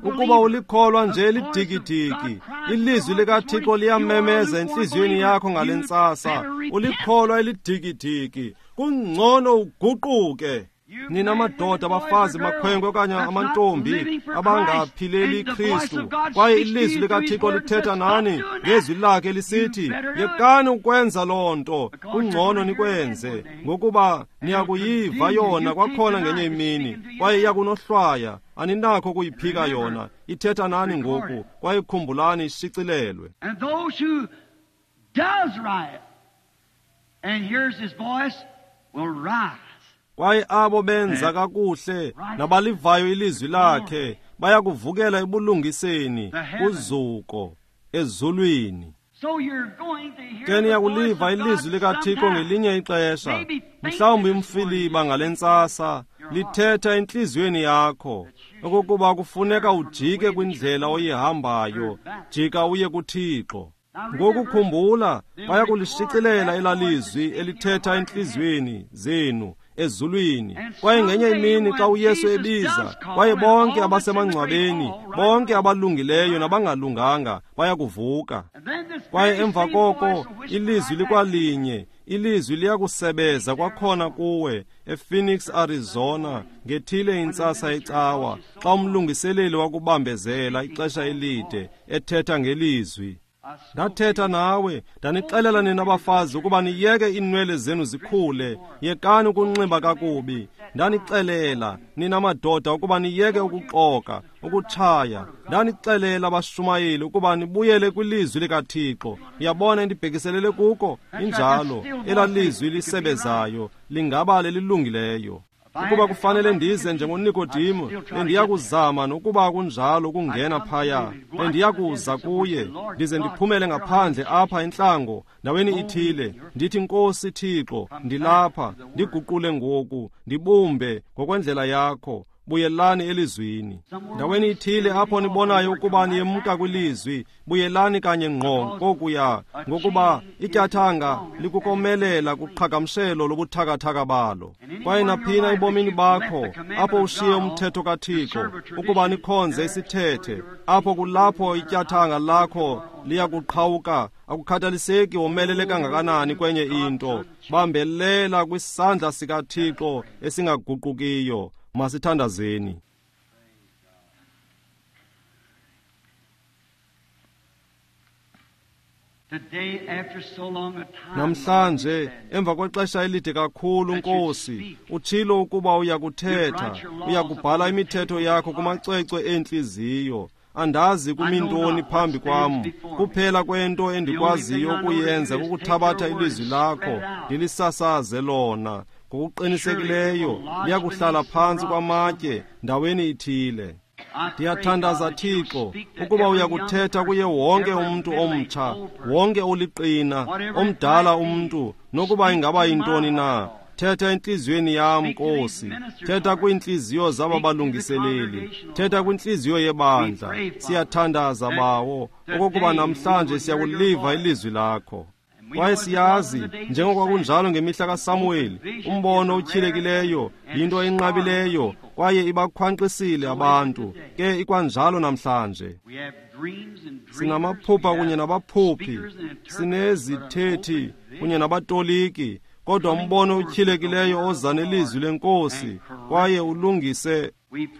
Ukuba ulikholwa nje elidikidiki, ilizwi likaThixo liyamemeza entliziyweni yakho ngale ntsasa, ulikholwa elidikidiki, kungcono uguquke. Nina madoda, abafazi, makhwenkwe okanye amantombi abangaphileli Kristu, kwaye ilizwi likaThixo lithetha nani ngezwi lakhe lisithi, yekani ukwenza loo nto, kungcono nikwenze, ngokuba niyakuyiva yona kwakhona ngenye imini, kwaye iyakunohlwaya. Aninakho ukuyiphika yona, ithetha nani ngoku, kwaye khumbulani ishicilelwe. And those who does riot and hears his voice will rise. Kwaye abo benza kakuhle nabalivayo ilizwi lakhe bayakuvukela ebulungiseni kuzuko ezulwini. Ke niyakuliva ilizwi likaThixo ngelinye ixesha, mhlawumbi umfiliba ngale ntsasa, lithetha entliziyweni yakho okokuba kufuneka ujike kwindlela oyihambayo, jika uye kuThixo. Ngokukhumbula, bayakulishicilela elalizwi elithetha entliziyweni zenu ezulwini. Kwaye ngenye imini xa uYesu ebiza, kwaye bonke abasemangcwabeni, bonke abalungileyo nabangalunganga bayakuvuka. Kwaye emva koko ilizwi likwalinye, ilizwi liyakusebeza kwakhona kuwe ePhoenix, Arizona, ngethile intsasa yecawa, xa umlungiseleli wakubambezela ixesha elide ethetha ngelizwi. Ndathetha nawe, ndanixelela nina bafazi ukuba niyeke iinwele zenu zikhule, yekani ukunxiba kakubi. Ndanixelela nina madoda ukuba niyeke ukuxoka, ukutshaya. Ndanixelela bashumayeli ukuba nibuyele kwilizwi likaThixo. Uyabona endibhekiselele kuko? Injalo, elalizwi lisebezayo lingaba lelilungileyo. Ukuba kufanele ndize njengoNikodimo, bendiyakuzama nokuba kunjalo ukungena phaya. Bendiyakuza kuye, ndize ndiphumele ngaphandle apha entlango, ndaweni ithile, ndithi, Nkosi Thixo, ndilapha, ndiguqule ngoku, ndibumbe ngokwendlela yakho. Buyelani elizwini. Ndaweni ithile apho nibonayo ukuba niyemka kwilizwi, buyelani kanye ngqo kokuya, ngokuba ityathanga likukomelela kuqhagamshelo lobuthakathaka balo. Kwaye naphina ebomini bakho apho ushiye umthetho kaThixo ukuba nikhonze isithethe, apho kulapho ityathanga lakho liyakuqhawuka. Akukhathaliseki womelele kangakanani kwenye into, bambelela kwisandla sikaThixo esingaguqukiyo. Masithandazeni. Namhlanje emva kwexesha elide kakhulu, Nkosi, utshilo ukuba uyakuthetha, uyakubhala imithetho yakho kumacwecwe entliziyo. Andazi kumintoni phambi kwam, kuphela kwento endikwaziyo ukuyenza kukuthabatha ilizwi lakho ndilisasaze lona. Ngokuqinisekileyo liyakuhlala phantsi kwamatye ndaweni ithile. Ndiyathandaza Thixo ukuba uyakuthetha kuye wonke umntu omtsha, wonke oliqina, omdala umntu, nokuba ingaba yintoni na. Thetha entliziyweni yam, Nkosi. Thetha kwiintliziyo zaba balungiseleli. Thetha kwintliziyo yebandla. Siyathandaza, Bawo, okokuba namhlanje siyakuliva ilizwi lakho. Kwaye siyazi, njengokwakunjalo ngemihla kaSamuweli, umbono otyhilekileyo yinto enqabileyo kwaye ibakhwankqisile abantu. Ke ikwanjalo namhlanje. Sinamaphupha kunye nabaphuphi, sinezithethi kunye nabatoliki, kodwa umbono otyhilekileyo oza nelizwi lenkosi kwaye ulungise.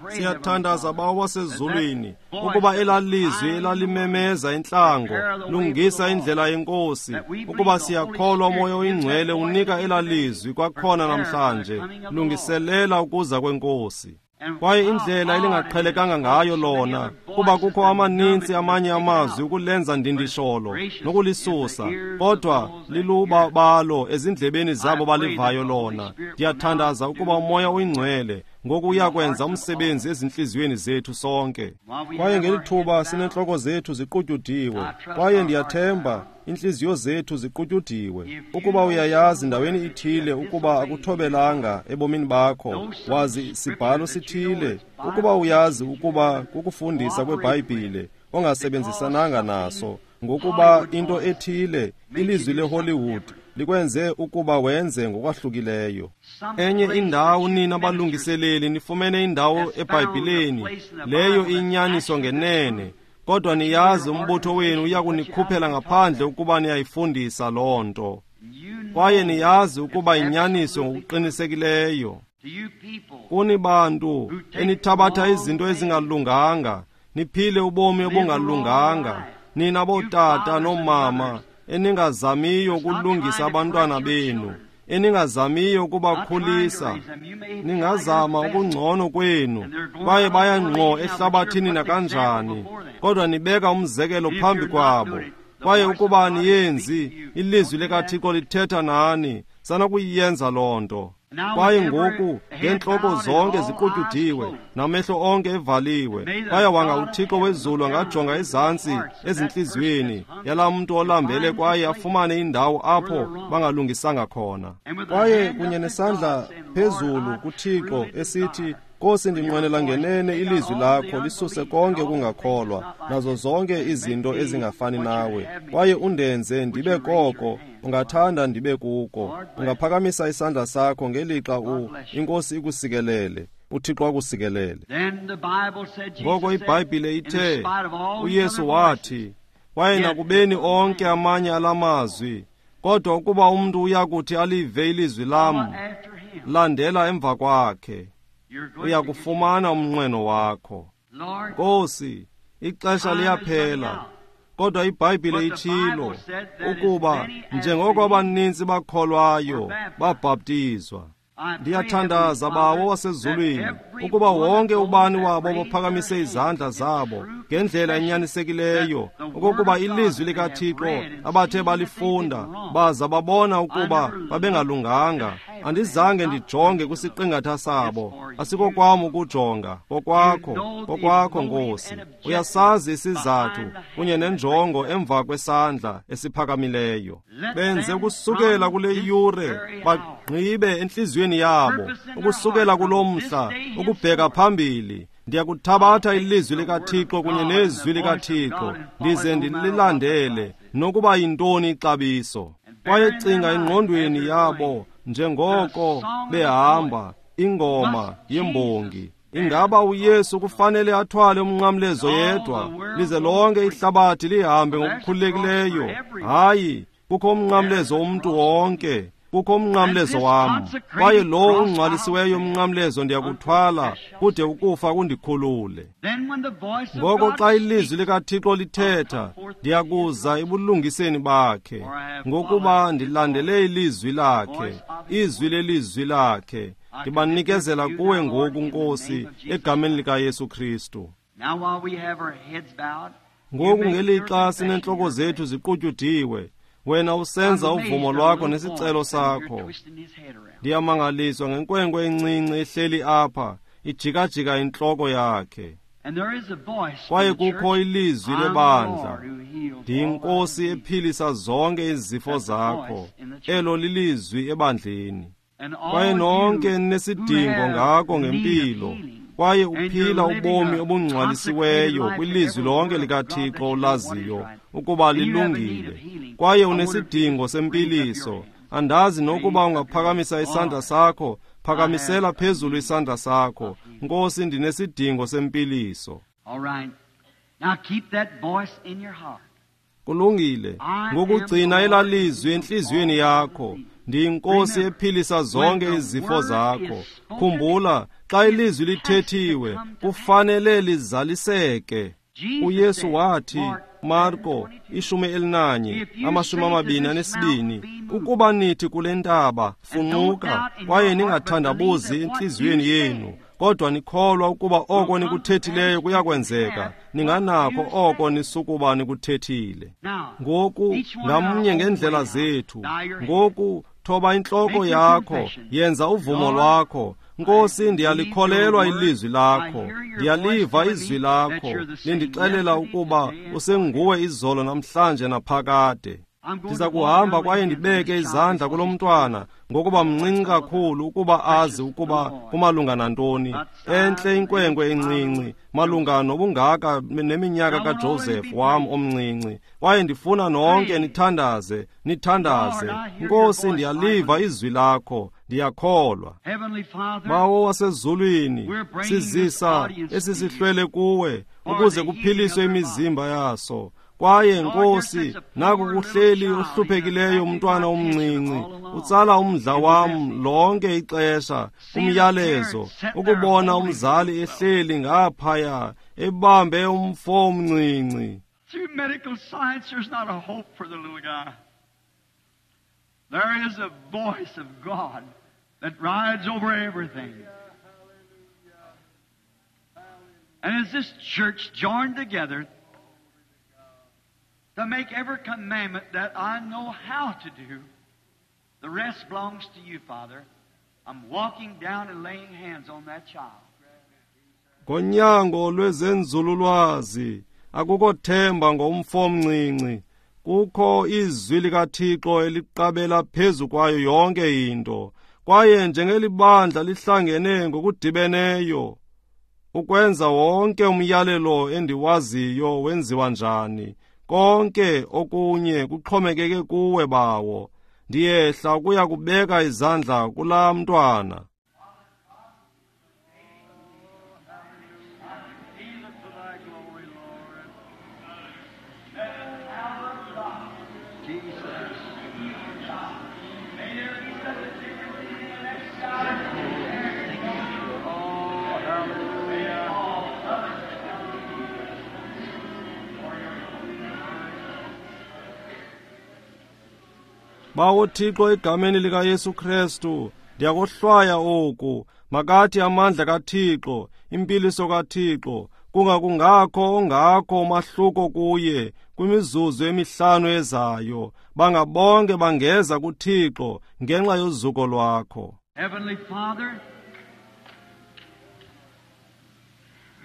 Siyathandaza, Bawo wasezulwini, ukuba elaa lizwi elalimemeza intlango lungisa indlela yenkosi, ukuba siyakholwa uMoya oyiNgcwele unika elaa lizwi kwakhona namhlanje, lungiselela ukuza kwenkosi. Kwaye indlela elingaqhelekanga ngayo lona, kuba kukho amaninzi amanye amazwi ukulenza ndindisholo nokulisusa, kodwa lilubabalo ezindlebeni zabo balivayo lona. Ndiyathandaza ukuba uMoya oyiNgcwele ngoku uyakwenza umsebenzi ezintliziyweni zethu sonke. Kwaye ngeli thuba sineentloko zethu ziqutyudiwe, kwaye ndiyathemba intliziyo zethu ziqutyudiwe, ukuba uyayazi ndaweni ithile ukuba akuthobelanga ebomini bakho, wazi sibhalo sithile, ukuba uyazi ukuba kukufundisa kweBhayibhile ongasebenzisananga naso, ngokuba into ethile, ilizwi leHollywood, likwenze ukuba wenze ngokwahlukileyo. Enye indawo nina balungiseleli nifumene indawo eBhayibhileni leyo inyaniso ngenene, kodwa niyazi umbutho wenu uyakunikhuphela ngaphandle ukuba niyayifundisa loo nto. Kwaye niyazi ukuba inyaniso ngokuqinisekileyo. Kuni bantu enithabatha izinto ezingalunganga, niphile ubomi obungalunganga, nina bootata noomama eningazamiyo ukulungisa abantwana benu, eningazamiyo ukubakhulisa, ningazama ukungcono kwenu, kwaye baya ngqo ehlabathini nakanjani, kodwa nibeka umzekelo phambi kwabo. Kwaye ukuba aniyenzi, ilizwi likaThixo lithetha nani, sanakuyenza loo nto. Kwaye ngoku ngeentloko zonke ziqutyudiwe namehlo onke evaliwe, kwaye wanga uThixo wezulu angajonga ezantsi ezintliziyweni yalaa mntu olambele kwaye afumane indawo apho bangalungisanga khona. Kwaye kunye nesandla phezulu kuThixo esithi, Nkosi, ndinqwenela ngenene ilizwi lakho lisuse konke ukungakholwa nazo zonke izinto ezingafani nawe, kwaye undenze ndibe koko ungathanda ndibe kuko. Ungaphakamisa isandla sakho ngelixa iNkosi ikusikelele, uThixo akusikelele. Ngoko iBhayibhile ithe, uYesu wathi, kwaye nakubeni onke amanye alamazwi, kodwa ukuba umntu uyakuthi alive ilizwi lam, landela emva kwakhe, uyakufumana umnqweno wakho. Nkosi, ixesha liyaphela, kodwa iBhayibhile itshilo ukuba njengoko abaninzi bakholwayo babhaptizwa. Ndiyathandaza, Bawo wasezulwini, ukuba wonke ubani wabo baphakamise izandla zabo ngendlela enyanisekileyo, okokuba ilizwi likaThixo abathe balifunda baza babona ukuba babengalunganga. Andizange ndijonge kwisiqingatha sabo, asikokwam ukujonga, kokwakho, kokwakho Nkosi. Uyasazi isizathu kunye nenjongo emva kwesandla esiphakamileyo. Benze ukusukela kule yure bagqibe entliziyweni yabo, ukusukela kulo mhla ukubheka phambili. Ndiyakuthabatha ilizwi likaThixo kunye nezwi likaThixo ndize ndililandele nokuba yintoni ixabiso. Kwaye cinga engqondweni yabo njengoko behamba ingoma yembongi. Ingaba uYesu kufanele athwale umnqamlezo yedwa, lize lonke ihlabathi lihambe ngokukhululekileyo? Hayi, kukho umnqamlezo womntu wonke, kukho umnqamlezo wam, kwaye lo ungcwalisiweyo umnqamlezo ndiyakuthwala kude ukufa kundikhulule. Ngoko xa ilizwi likaThixo lithetha, ndiyakuza ebulungiseni bakhe, ngokuba ndilandele ilizwi lakhe, izwi lelizwi lakhe. Ndibanikezela kuwe ngoku, Nkosi, egameni likaYesu Kristu. Ngoku ngelixa sineentloko zethu ziqutyudiwe, wena usenza uvumo lwakho nesicelo sakho. Ndiyamangaliswa ngenkwenkwe encinci ehleli apha, ijikajika intloko yakhe. Kwaye kukho ilizwi lebandla, ndiyiNkosi ephilisa zonke izifo zakho. Elo lilizwi ebandleni. Kwaye nonke ninesidingo ngako ngempilo, kwaye uphila ubomi obungcwalisiweyo kwilizwi lonke likaThixo olaziyo ukuba lilungile, kwaye unesidingo sempiliso. Andazi nokuba ungaphakamisa isandla sakho, phakamisela phezulu isandla sakho. Nkosi, ndinesidingo sempiliso. Kulungile, ngokugcina elalizwi entliziyweni yakho. Ndiyinkosi ephilisa zonke izifo zakho. Khumbula, xa ilizwi lithethiwe, kufanele lizaliseke. uYesu wathi, Marko 11 22, ukuba nithi kule ntaba, funquka, kwaye ningathandabuzi entliziyweni yenu, kodwa nikholwa ukuba oko nikuthethileyo kuyakwenzeka, ninganakho oko nisukuba nikuthethile. Ngoku ngamnye ngendlela zethu. Ngoku thoba intloko yakho, yenza uvumo lwakho. Nkosi, ndiyalikholelwa ilizwi lakho, ndiyaliva izwi lakho lindixelela ukuba usenguwe izolo namhlanje naphakade. Ndiza kuhamba kwaye ndibeke izandla kulo mntwana, ngokuba mncinci kakhulu ukuba azi ukuba kumalunga nantoni. Entle inkwenkwe encinci, malunga nobungaka neminyaka kaJoseph wam omncinci. Kwaye ndifuna nonke nithandaze, nithandaze. Nkosi, ndiyaliva izwi lakho, ndiyakholwa. Bawo wasezulwini, sizisa esisihlwele kuwe ukuze kuphiliswe imizimba yaso. Kwaye Nkosi, naku kuhleli ohluphekileyo umntwana omncinci, utsala umdla wam lonke ixesha, umyalezo, ukubona umzali ehleli ngaphaya ebambe umfo omncinci. Through medical science, there's not a hope for the little guy. There is a voice of God that rides over everything. And as this church joined together to make every commandment that I know how to do, the rest belongs to you, Father. I'm walking down and laying hands on that child. Ngonyango lwezenzululwazi akukho themba ngomfo omncinci. Kukho izwi likaThixo eliqabela phezu kwayo yonke into. Kwaye njengelibandla lihlangene ngokudibeneyo ukwenza wonke umyalelo endiwaziyo wenziwa njani, konke okunye kuxhomekeke kuwe, Bawo. Ndiyehla ukuya kubeka izandla kulaa mntwana. Bawo Thixo, egameni likaYesu Kristu, ndiyakohlwaya oku. Makathi amandla kaThixo, impiliso kaThixo, kungakungakho ongakho umahluko kuye kwimizuzu emihlanu ezayo. Bangabonke bangeza kuThixo ngenxa yozuko lwakho. Heavenly Father,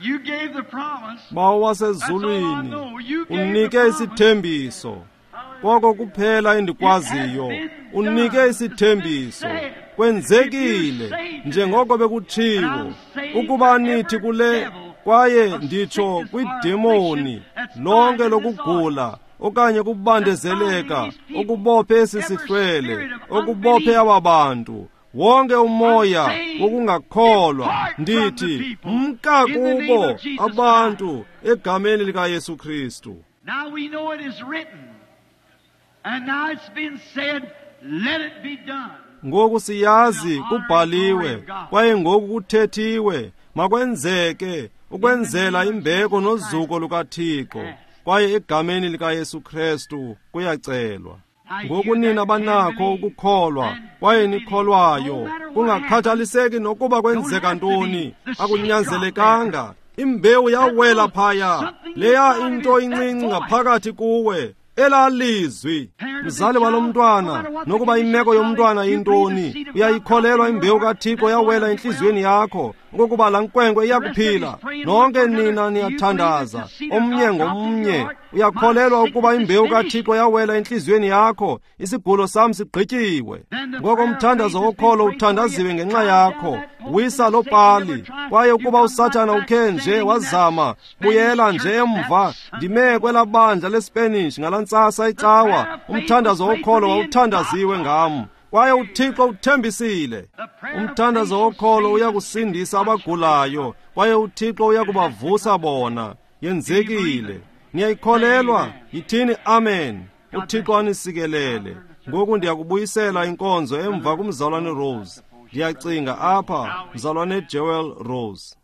you gave the promise. Bawo wasezulwini, unike isithembiso. Koko kuphela endikwaziyo, unike isithembiso. Kwenzekile njengoko bekutshiwo, ukuba nithi kule, kwaye nditsho kwidemoni lonke lokugula okanye kubandezeleka okubophe esi sihlwele, okubophe aba bantu, wonke umoya wokungakholwa, ndithi mka kubo abantu egameni likaYesu Kristu. Now we know it is written. And now it's been said, let it be done. Ngoku siyazi kubhaliwe, kwaye ngoku kuthethiwe, makwenzeke ukwenzela imbeko nozuko lukaThixo, kwaye egameni likaYesu Kristu kuyacelwa. Ngoku nina banakho ukukholwa kwaye nikholwayo, kungakhathaliseki nokuba kwenzeka ntoni, akunyanzelekanga. Imbewu yawela phaya, leya into incinci ngaphakathi kuwe. Elaa lizwi, mzali walo mntwana, nokuba imeko yomntwana yintoni, uyayikholelwa imbewu kaThixo yawela entliziyweni yakho okokuba laa nkwenkwe iyakuphila. Nonke nina niyathandaza omnye ngomnye. Uyakholelwa ukuba imbewu kaThixo yawela entliziyweni yakho? Isigulo sam sigqityiwe. Ngoko umthandazo wokholo uthandaziwe ngenxa yakho. Wisa loo pali. Kwaye ukuba uSathana ukhe nje wazama, buyela nje emva. Ndime kwelaa bandla leSpanish ngalaa ntsasa icawa. Umthandazo wokholo wawuthandaziwe ngam, kwaye uThixo uthembisile. Umthandazo wokholo uyakusindisa abagulayo, kwaye uThixo uyakubavusa bona. Yenzekile. Niyayikholelwa? Yithini amen. UThixo anisikelele. Ngoku ndiyakubuyisela inkonzo emva kumzalwane Rose. Ndiyacinga apha, mzalwane Jewel Rose.